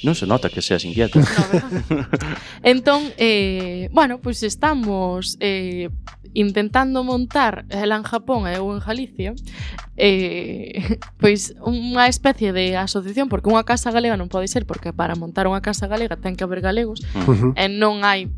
Non se nota que seas inquieto. no, ¿verdad? Entón, eh, bueno, pois pues estamos eh, intentando montar ela en Japón e eu en Galicia eh, pois unha especie de asociación, porque unha casa galega non pode ser, porque para montar unha casa galega ten que haber galegos Ujú. e non hai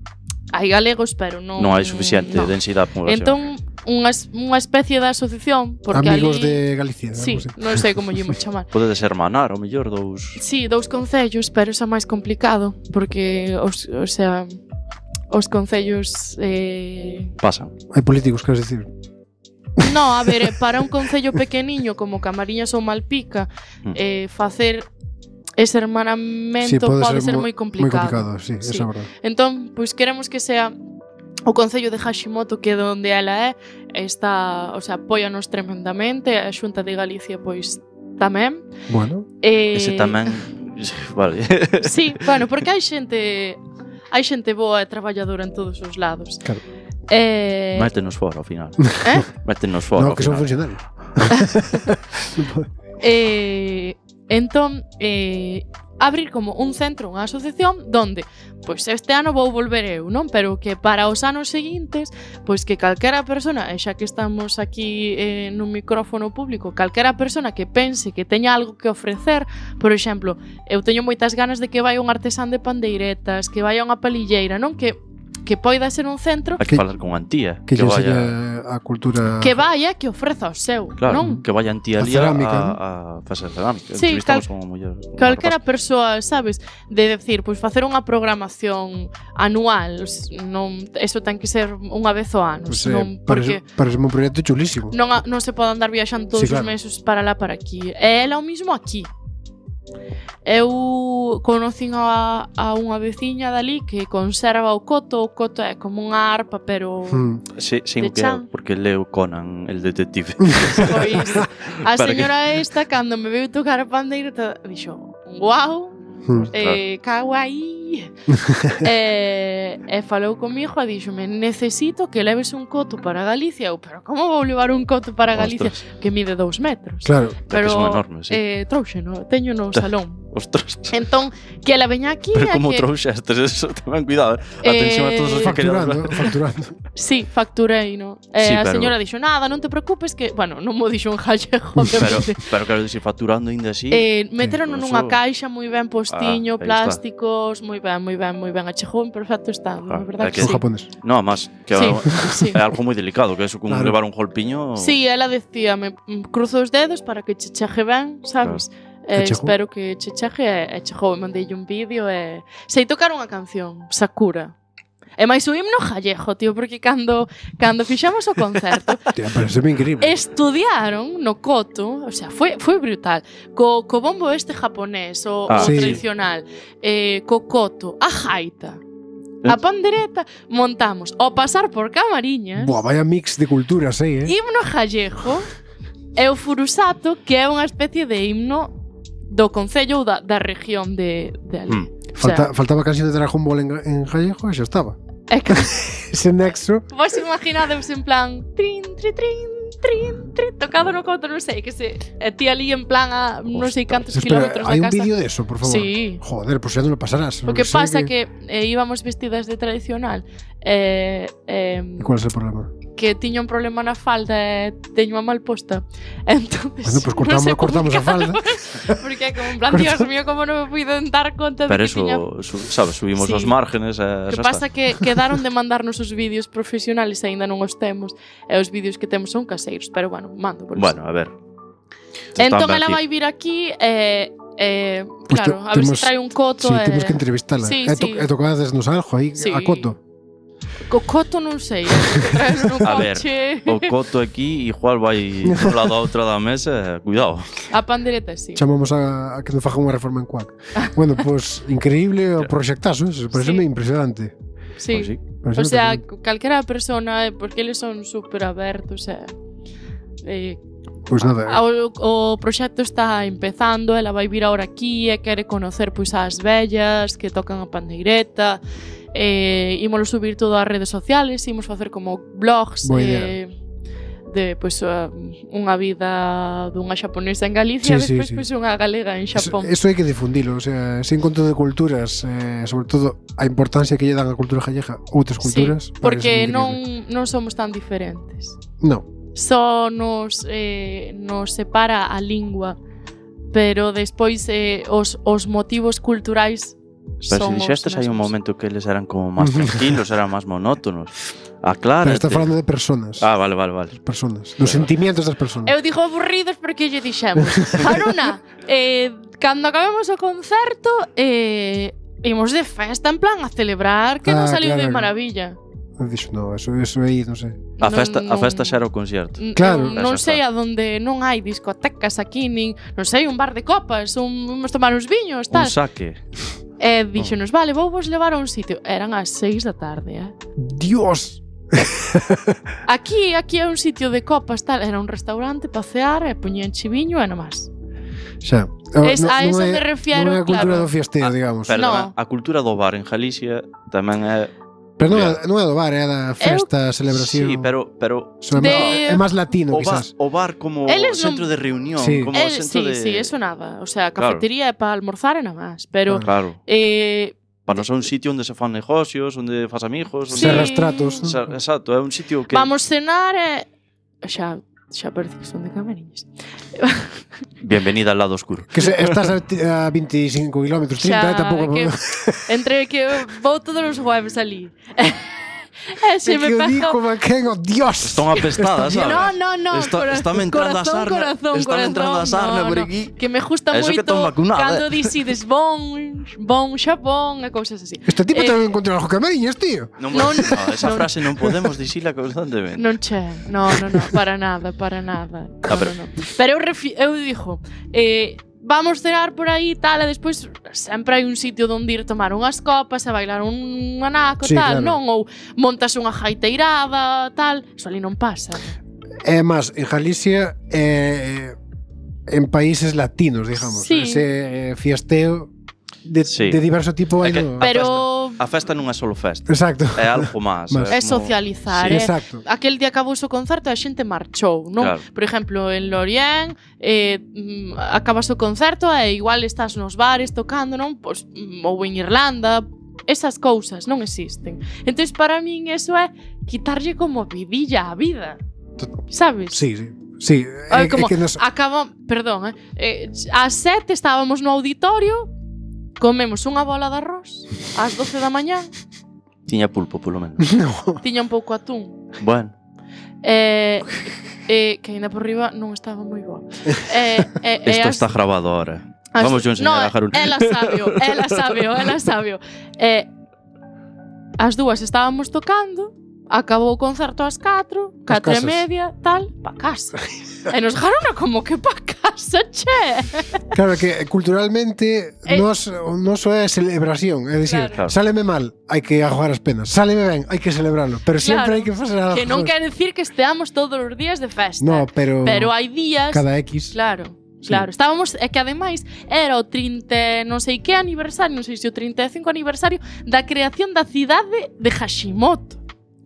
hai galegos, pero non Non hai suficiente no. densidade de población. Entón, unha, es- unha especie de asociación, porque Amigos ali de Galicia. sí, algo así. non sei como lle imos chamar. Pode ser manar, o mellor dous... Sí, dous concellos, pero xa máis complicado, porque os, o sea, os concellos eh... Pasan. Hai políticos, queres dicir? No, a ver, eh, para un concello pequeniño como Camariñas ou Malpica, Mm. eh, facer ese hermanamento sí, pode, pode ser, ser moi complicado. Moi complicado, sí, sí. Esa é verdade. Entón, pois queremos que sea o Concello de Hashimoto, que é onde ela é, está, o sea, apóianos tremendamente, a Xunta de Galicia pois tamén. Bueno. Eh, Ese tamén, vale. Sí, bueno, porque hai xente hai xente boa e traballadora en todos os lados. Claro. Eh, Métenos fora ao final. Eh? Métenos fora No, ao que son final. funcionarios. eh, entón, eh, abrir como un centro, unha asociación donde, pois este ano vou volver eu, non? Pero que para os anos seguintes, pois que calquera persona, e xa que estamos aquí eh, nun micrófono público, calquera persona que pense que teña algo que ofrecer, por exemplo, eu teño moitas ganas de que vai un artesán de pandeiretas, que vai a unha palilleira, non? Que que poida ser un centro Hai que falar con Antía, que, que, que vaya vaya a cultura. que vaya, que ofreza o seu, claro, non? que vaya Antía A ali a, cerámica, a, ¿no? a facer cerámica. Sí, Entrevistamos cal- a unha muller, unha Calquera rapaza. persoa, sabes, de decir, pois facer unha programación anual, non, eso ten que ser unha vez ao ano, Pues, eh, non, porque parece, parece un proxecto chulísimo. non, a- non se pode andar viaxando todos Sí, claro. os meses para lá, para aquí. E ela o mismo aquí. Eu conocín a, a unha veciña dali que conserva o coto. O coto é como unha arpa, pero Hmm. Sí, sí, de que chan. porque leo Conan, el detective. pois a Para señora esta, cando me veu tocar a pandeireta, dixo, guau, Hmm. eh, kawaii. e, e falou comigo e díxome, necesito que leves un coto para Galicia. Eu, pero como vou levar un coto para Galicia Ostras. que mide dous metros? Claro. Pero que son enormes, sí. eh, trouxeno, teño no salón. Ostras. Entón, que ela veña aquí Pero e como que... trouxestes eso, tamén cuidado. Eh, Atención a todos os que quedan. Facturando, facturando. Sí, facturei, no? E Sí, a pero- señora dixo, nada, non te preocupes que... Bueno, non mo dixo en gallego, Pero, obviamente. pero quero dicir, facturando ainda así. Eh, meteron Eso- nunha caixa moi ben postiño, Ah, aí plásticos, moi ben, moi ben, moi ben. Achegou en perfecto estado, Ah, a verdade é que, Son sí. japonés. No, más, que Sí, é- sí. é algo moi delicado, que eso con Claro. levar un golpiño. Sí, ela decía, me cruzo os dedos para que che chegue ben, sabes? Eh, Que chegou? espero que che chegue e, e chegou, e mandeille un vídeo e... Sei tocar unha canción, Sakura. E máis o himno gallego, tío, porque cando, cando fixamos o concerto, Tía, parece increíble. estudiaron no coto, o sea, foi, foi brutal, co, co bombo este japonés, o, Ah. o Sí. tradicional, eh, co coto, a jaita, a pandereta, montamos, ao pasar por Camariñas, Buah, vaya mix de culturas aí, eh. himno gallego e o furusato, que é unha especie de himno do concello ou da, da región de, de ali. Hmm. Falta, faltaba canción de Dragon Ball en, en gallego e xa estaba. É que Ese nexo. vos imaginades en plan trin, trin, trin, trin, trin, tocado no coto, non sei, que se e ti ali en plan a non sei cantos Espera, kilómetros hai da un casa. vídeo de eso, por favor. Sí. Joder, pues xa non lo pasarás. O que Sei pasa que, que eh, íbamos vestidas de tradicional eh, eh, E cuál é o problema? que tiña un problema na falda e teño a mal posta. Entonces, Bueno, pues non cortamos, sei cortamos a falda. Porque é como en plan, Dios mío, como non me puido dar conta de Pero que eso, tiña... su, sabes, subimos Sí. os márgenes e O que xa pasa está. que quedaron de mandarnos os vídeos profesionales e aínda non os temos e os vídeos que temos son caseiros, pero bueno, mando por Bueno, a ver. Se Entón están ela ben vai vir aquí e eh, Pues claro, te- a ver temos- se trae un coto Sí, e... temos que entrevistala. Sí, e, to sí. e tocades nos algo aí Sí. a coto. Co coto non sei, eh, porque traerlo nun A ver, coche... O coto aquí igual vai dun lado a outra da mesa, e cuidado. A pandereta, sí. Chamamos a, a que nos faga unha reforma en Cuac. Bueno, pues increíble o proxectazo, eso, parece Sí. impresionante. Sí. Pois sí. Parece O sea, impresionante. calquera persona, eh, porque eles son super abertos, eh, eh, Pois nada, o, o proxecto está empezando, ela vai vir ahora aquí e quere conocer pois as vellas que tocan a pandeireta, eh, ímolo subir todo ás redes sociales, imos facer como blogs Boa eh, de pois uh, unha vida dunha xaponesa en Galicia Sí, sí, e despois sí. pois unha galega en eso, Xapón. eso hai que difundilo, o sea, ese encontro de culturas, eh, sobre todo a importancia que lle dan a cultura gallega outras culturas. Sí, parece porque increíble. non, non somos tan diferentes. No, Só nos, eh, nos separa a lingua, pero despois eh, os, os motivos culturais Pero son se dixestes os hai un mesmos. momento que eles eran como máis tranquilos, eran máis monótonos. pero Aclárate. está falando de personas. Ah, vale, vale, vale. Personas, dos sentimientos das personas. Eu digo aburridos porque lle dixemos Haruna, eh, cando acabemos o concerto eh, imos de festa en plan a celebrar que Ah, non saliu claro. de maravilla. Dixo, no, eso, eso aí, non sei. A festa, Non- a festa non- xa era o concerto. N- Claro. Non, non Xa sei está. a donde non hai discotecas aquí, nin, non sei, un bar de copas, un, vamos tomar uns viños, Un tal. saque. E dixonos, vale, vou vos levar a un sitio. Eran as seis da tarde, eh. Dios! Aquí, aquí é un sitio de copas, tal. Era un restaurante para cear e poñían chiviño e nomás. Xa. Es- a non eso é- me refiero, Non é a cultura claro. do fiesteo, Ah, digamos. Perdona, No. a cultura do bar en Galicia tamén é... Pero non é, non é do bar, é da festa, celebración. Sí, pero, pero Son- De- É máis latino, o, bar, quizás. o bar como Eles centro non- de reunión, Sí. como El, centro sí, de... sí, eso nada. O sea, Claro. cafetería é para almorzar e nada máis. Pero, Claro. eh, Para non ser un sitio onde se fan negocios, onde fas amigos, onde... Sí. Cerras tratos. Xa- Exacto, é un sitio que... vamos cenar e... Xa, xa parece que son de Camariñas. Bienvenida al lado oscuro. Que se, estás a, ti- a veinticinco kilómetros, trinta, Xa, tampouco... que, entre que vou todos os jueves ali. E se É me que o pega... dico, Maquén, oh Dios! Están apestadas, sabes? No, no, no, Está, cora- está me entrando a corazón, sarna, corazón, está me entrando a corazón, sarna no, por no. aquí. Que me gusta Eso que moito ton vacunada, cando eh. dicides bon, bon, xapón e cousas así. Este tipo Eh, tamén encontrou algo Camariñas, tío. Non, Non, no, esa non. frase non podemos dicila constantemente. Non che, no, no, no, para nada, para nada. No, Ah, pero- no, no. Pero eu, refi eu dixo, eh, vamos cenar por aí tal, e despois sempre hai un sitio onde ir tomar unhas copas e bailar un anaco, Sí, tal, claro. non? Ou montas unha jaiteirada, tal. Eso ali non pasa. É máis, en Galicia, eh, en países latinos, digamos. Sí. Ese eh, fiesteo de, Sí. de diverso tipo É hai que- no... Pero A festa non é solo festa, Exacto. é algo máis. Más. é como- socializar, Sí, é exacto. aquel día acabou o concerto e a xente marchou, non? Claro. Por exemplo, en Lorient eh, mm, acabas o concerto e igual estás nos bares tocando, non? Pois, mm, ou en Irlanda, esas cousas non existen. Entón, para min, eso é quitarlle como vidilla á vida. Sabes? Sí, sí. Sí, é, Ai, como é que nos... acaba, perdón, eh, eh, ás sete estábamos no auditorio, comemos unha bola de arroz, ás doce da mañá, Tiña pulpo, polo menos. No. tiña un pouco atún. Bueno, Eh, eh, que ainda por riba non estaba moi boa. Eh, eh, isto eh, está as- grabado ahora. as- Vamos yo enseñar no, a Harun. ela sabio, ela sabio, ela sabio. Eh, as dúas estábamos tocando, acabou o concerto ás catro, Pas catro e casas. media, tal, pa casa. E nos dejaron como que pa casa, che. Claro que culturalmente Eh, nos, o noso é celebración, é dicir, Claro. sáleme mal, hai que ajogar as penas, sáleme ben, hai que celebralo, pero sempre Claro. hai que facer algo. Que non quere decir que esteamos todos os días de festa. No, pero, Pero hai días... cada X. Claro, Sí. claro. Estábamos, é que ademais era o trinta, non sei que aniversario, non sei se o trinta e cinco aniversario da creación da cidade de Hashimoto.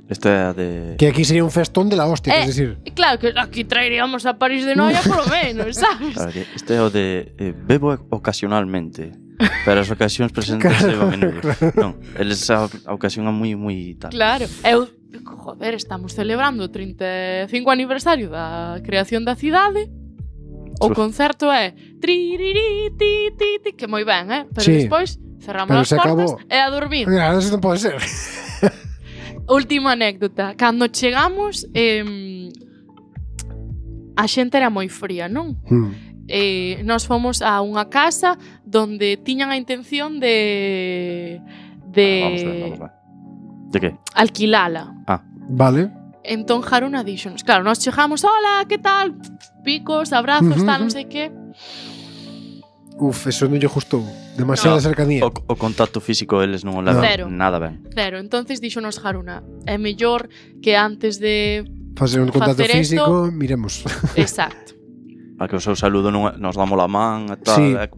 Isto é a de... Que aquí sería un festón de la hostia, Eh, é dicir, E claro que aquí traeríamos a París de Noia polo menos, sabes? Claro, que isto é o de eh, bebo ocasionalmente, pero as ocasións presentes Claro, levan a menudo. claro. Non, eles a, a ocasión é moi moi tal. Claro. Eu, joder, estamos celebrando o trinta e cinco aniversario da creación da cidade. O Uf. concerto é tririri, ti, ti, ti, que moi ben, eh? Pero Sí. despois cerramos Pero as se portas acabou. e a dormir. Mira, eso non pode ser. Última anécdota. Cando chegamos, eh, a xente era moi fría, non? Hmm. Eh, nós fomos a unha casa donde tiñan a intención de de Ah, vamos ver, vamos ver. De que? alquilala. Vale. Entón Haruna díxonos, claro, nós chegamos, hola, que tal? Picos, abrazos, Ujú, tal, non ujú. sei que. Uf, eso non lle gustou. Demasiada No. cercanía. O, o contacto físico eles non o levan Cero. nada ben. Cero, entonces díxonos Haruna, é mellor que antes de... Facer un contacto facer físico, miremos. Exacto. A que o seu saludo non é- nos damos la man e tal. Sí. é-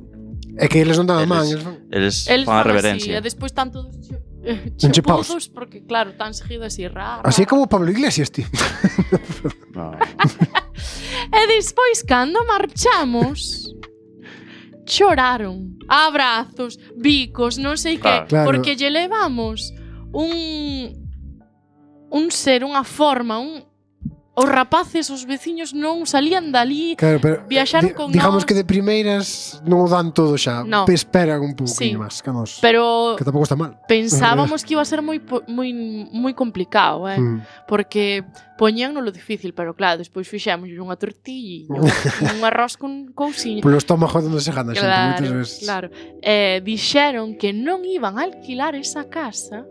É que eles non daban man. Eles- Eles... Eles, Eles fan a fan así, reverencia. e despois están todos che- eh, Enchepaos. chepudos, porque claro, tan seguido así, raro. Así como Pablo Iglesias, tío. No. E despois, cando marchamos, choraron. Abrazos, bicos, non sei que. Claro. Claro. Porque lle levamos un... Un ser, unha forma, un... Os rapaces, os veciños non salían dali. Claro, pero Viaxaron di- con digamos nós. que de primeiras non o dan todo xa. No. Esperan un pouco Sí. máis que nos. Pero Que tampouco está mal. pensábamos que iba a ser moi po- moi moi complicado, eh? Mm. Porque poñían lo difícil, pero claro, despois fixemos unha tortilla, un arroz con cousiña. Polo estómago onde se gana a xente moitas Claro, veces. claro. Eh, dixeron que non iban a alquilar esa casa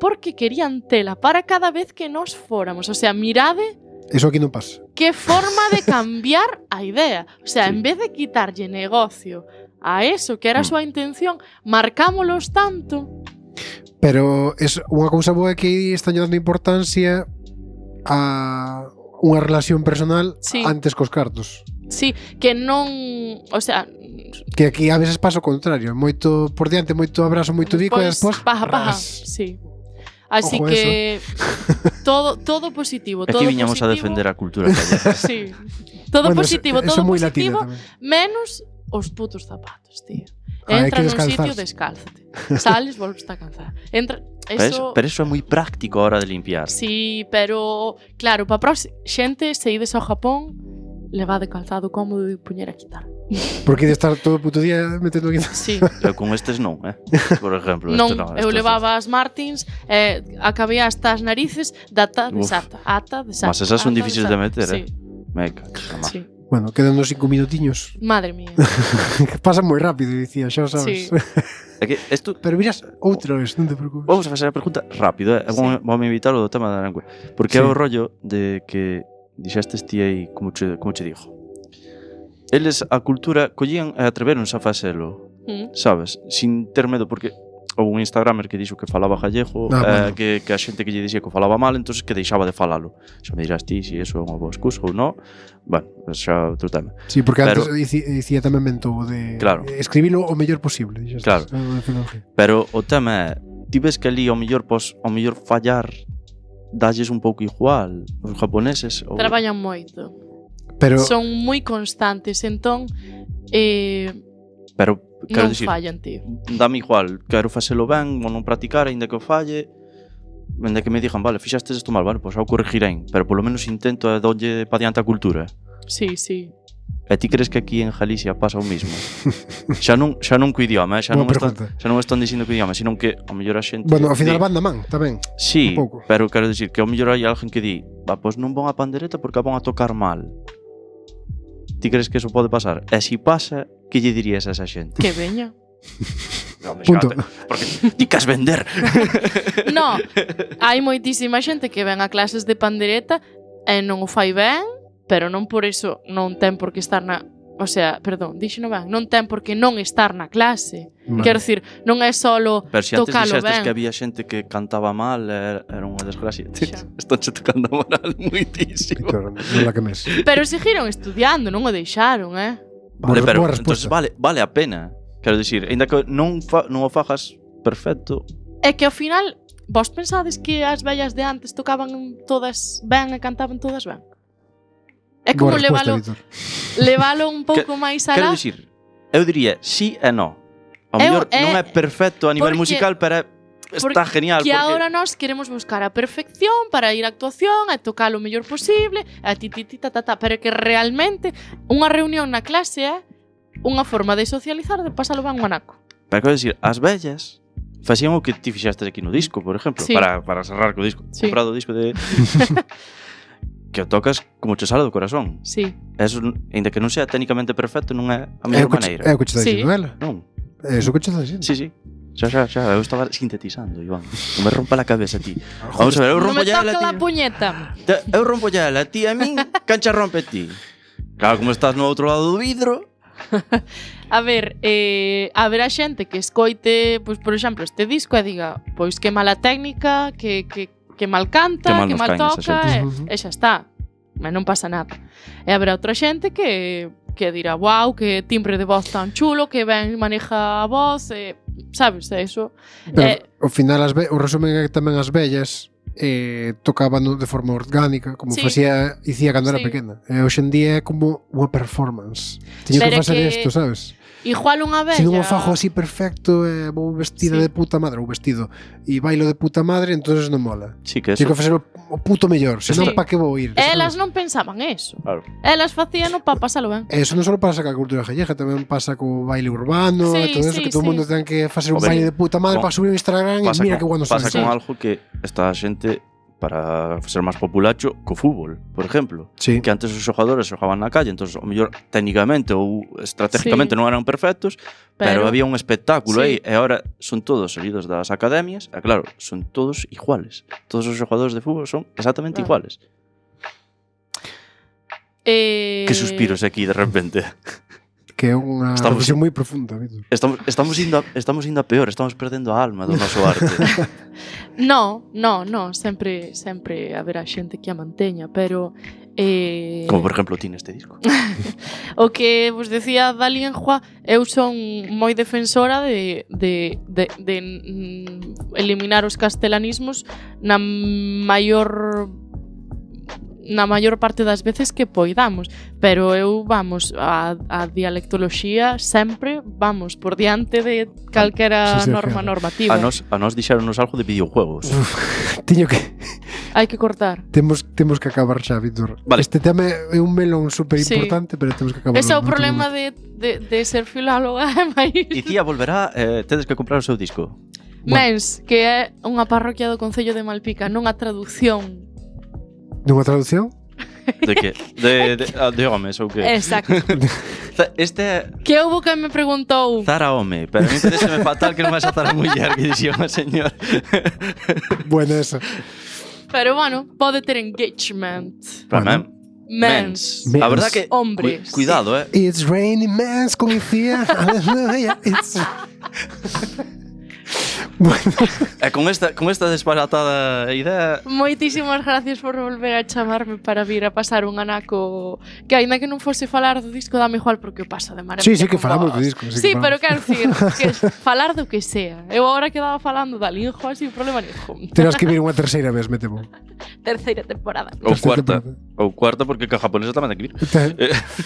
porque querían tela para cada vez que nos fóramos. O sea, mirade... Eso aquí non pasa. Que forma de cambiar a idea. O sea, sí. En vez de quitarlle negocio a eso, que era a súa intención, marcámolos tanto. Pero es unha cousa boa que están dando importancia a unha relación personal sí. Antes cos cartos. Sí, que non... O sea... Que aquí a veces pasa o contrario. Moito por diante, moito abrazo, moito bico pues, e despois... Paja, paja, sí. Así Ojo que todo, todo positivo. Aquí todo viñamos positivo. A defender a cultura gallega. Sí. Todo bueno, positivo, eso, todo eso positivo, menos os putos zapatos, tío. Ah, entra nun sitio, descálzate. Sales, volves a calzar. Entra, eso... Pero, eso, pero eso é moi práctico a hora de limpiar. Sí, pero claro, para próxima xente, se ides ao Japón, levade calzado cómodo e puñer a quitar. Porque de estar todo o puto día metendo aquí. Sí. Eu con estes non, eh? Por exemplo, non, este non. Eu levaba as Martins, eh, acabei hasta as narices data de sata, ata de sata. Mas esas son difíciles de meter, sí. eh? Meca, sí. Bueno, quedan uns cinco minutiños. Madre mía. Pasa moi rápido, dicía, xa sabes. Sí. É que esto... Pero miras outra vez, non te preocupes. Vamos a facer a pregunta rápido, eh? Sí. Vamos a invitar o tema da lengua. Porque sí. É o rollo de que dixestes ti aí, como che, como che digo, eles a cultura collían e atreveronse a facelo, mm. sabes? Sin ter medo, porque houve un instagramer que dixo que falaba gallego, ah, eh, bueno. que, que a xente que lle dixía que falaba mal, entonces que deixaba de falalo. Xa me dirás ti se si eso é unha boa excusa ou non. Bueno, xa outro tema. Sí, porque Pero, antes dicía tamén mentou de claro. escribilo o mellor posible. Claro. Pero o tema é, ti ves que ali ao mellor, pos, ao mellor fallar dalles un pouco igual os japoneses ou... Traballan moito. Pero... Son moi constantes, entón eh, pero quero non dicir, fallan, tío. Dame igual, quero facelo ben ou non practicar, aínda que o falle, aínda que me digan, vale, fixastes isto mal, vale, pois pues, ao corregirei, pero polo menos intento a dolle pa diante a cultura. Sí, sí. E ti crees que aquí en Galicia pasa o mismo? xa non xa non co idioma, eh? xa non están, xa non están dicindo co idioma, sino que ao mellor a xente... Bueno, ao final van da man, tamén. Sí, pero quero dicir que ao mellor hai alguén que di, va, pois non van a pandereta porque a van a tocar mal. Ti crees que eso pode pasar? E se si pasa, que lle dirías a esa xente? Que veña. No, Punto. Porque ti cas vender. No, hai moitísima xente que ven a clases de pandereta e non o fai ben, pero non por eso non ten por que estar na... O sea, perdón, dixo non ben, non ten por que non estar na clase. Vale. Quero dicir, non é solo tocalo ben. Pero se antes dixestes que había xente que cantaba mal, era unha desgracia. Están che tocando moral moitísimo. Claro, non la que mes. Pero seguiron estudiando, non o deixaron, eh? Vale, pero entonces vale, vale a pena. Quero dicir, ainda que non, fa, non o fajas perfecto. É que ao final, vos pensades que as vellas de antes tocaban todas ben e cantaban todas ben? É como levalo, levalo un pouco máis alá. Quero dicir, eu diría sí e no. Ao mellor non é perfecto a nivel porque, musical, pero está genial. Que porque... agora nós queremos buscar a perfección para ir á actuación e tocar o mellor posible, a ti, ti, ti, ta, ta, ta, pero que realmente unha reunión na clase é unha forma de socializar, de pasalo ben un anaco. Pero quero dicir, as vellas facían o que ti fixastes aquí no disco, por exemplo, sí. para, para cerrar co disco. Sí. Comprado o disco de... que o tocas como che sale do corazón. Sí. Eso, ainda que non sea técnicamente perfecto, non é a mellor maneira. É o que che está dicindo ela. Non. É o que che está dicindo. Sí, sí. Xa, xa, xa, eu estaba sintetizando, Iván. Non me rompa la cabeza, ti. Vamos a ver, eu rompo ya ela, ti. Non me toca la puñeta. Eu rompo ya ela, ti a min, cancha rompe ti. Claro, como estás no outro lado do vidro. A ver, eh, a ver a xente que escoite, pois, por exemplo, este disco e diga, pois que mala técnica, que, que, que mal canta, que mal, que mal toca, e, e xa está. Mas non pasa nada. E haberá outra xente que, que dirá, wow, que timbre de voz tan chulo, que ben maneja a voz, e, sabes, eso. Pero, eh, ao final, as o resumen é que tamén as vellas eh, tocaban de forma orgánica, como sí. facía Icía cando sí. era pequena. E hoxe en día é como unha performance. Teño que facer isto, sabes? Igual unha vella... Se non o fajo así perfecto, eh, vou vestida sí. de puta madre, ou vestido, e bailo de puta madre, entonces non mola. Sí, que eso... Teño que facer o, o puto mellor, senón sí. pa que vou ir. Elas non pensaban eso. Claro. Elas facían o pa pasalo ben. Eso non só pasa ca cultura gallega, tamén pasa co baile urbano, sí, e todo eso, sí, que todo o sí. mundo ten que facer un baile de puta madre para subir o Instagram e mira que bueno pasa con algo que esta xente para ser máis populacho co fútbol, por exemplo. Sí. Que antes os xogadores xogaban na calle, entón, o mellor técnicamente ou estratégicamente sí. non eran perfectos, pero, pero había un espectáculo sí. aí, e agora son todos salidos das academias, e claro, son todos iguales. Todos os xogadores de fútbol son exactamente ah. iguales. Eh... Que suspiros aquí de repente. Que é unha reflexión moi profunda, Víctor. Estamos, estamos, indo a, estamos indo a peor, estamos perdendo a alma do noso arte. No, no, no, sempre sempre haberá xente que a manteña, pero eh... como por exemplo ti neste disco. O que vos decía da lingua, eu son moi defensora de, de, de, de mm, eliminar os castelanismos na maior na maior parte das veces que poidamos, pero eu, vamos, a, a dialectoloxía sempre, vamos, por diante de calquera sí, sí, norma claro. normativa. A nos, a nos dixeronos algo de videojuegos. Uf, tiño que... Hai que cortar. Temos, temos que acabar xa, Víctor. Vale. Este tema é un melón super importante, sí. pero temos que acabar. Ese é o problema de, de, de ser filóloga. Icía volverá, eh, tedes que comprar o seu disco. Mens, bueno. que é unha parroquia do Concello de Malpica, non a traducción. Dunha traducción? De que? De, de, de homes ou que? Exacto. Este que houbo que me preguntou Zara home, pero a mí parece fatal que non vas a Zara muller, que dixía unha señor. Bueno, eso. Pero bueno, pode ter engagement. Para bueno. Mens. Mens. A verdad que hombres. Cu cuidado, eh. It's raining mens con Icía. It's Bueno. E con esta, con esta disparatada idea... Moitísimas gracias por volver a chamarme para vir a pasar un anaco que aínda que non fose falar do disco dame igual porque o paso de maravilla. Sí, sí que falamos do disco. Sí, sí que pero quero dicir que falar do que sea. Eu agora quedaba falando da lingua sin problema nenhum. Terás que vir unha terceira vez, me temo. Terceira temporada. Ou cuarta. Ou cuarta porque que a japonesa tamén ten que vir.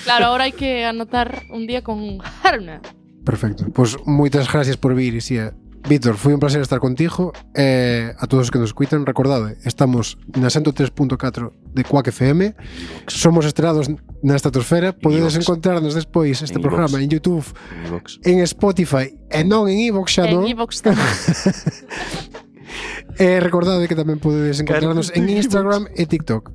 Claro, agora hai que anotar un día con Haruna. Perfecto. Pois pues, moitas gracias por vir, Icía. Víctor, foi un placer estar contigo e eh, a todos os que nos escuitan, recordade, estamos na ciento tres punto catro de Quack F M, somos estrelados na estratosfera, podedes encontrarnos despois este en programa en YouTube, en, en Spotify e non en iVoox xa non. En iVoox tamén. E recordade que tamén podedes encontrarnos en Instagram e TikTok.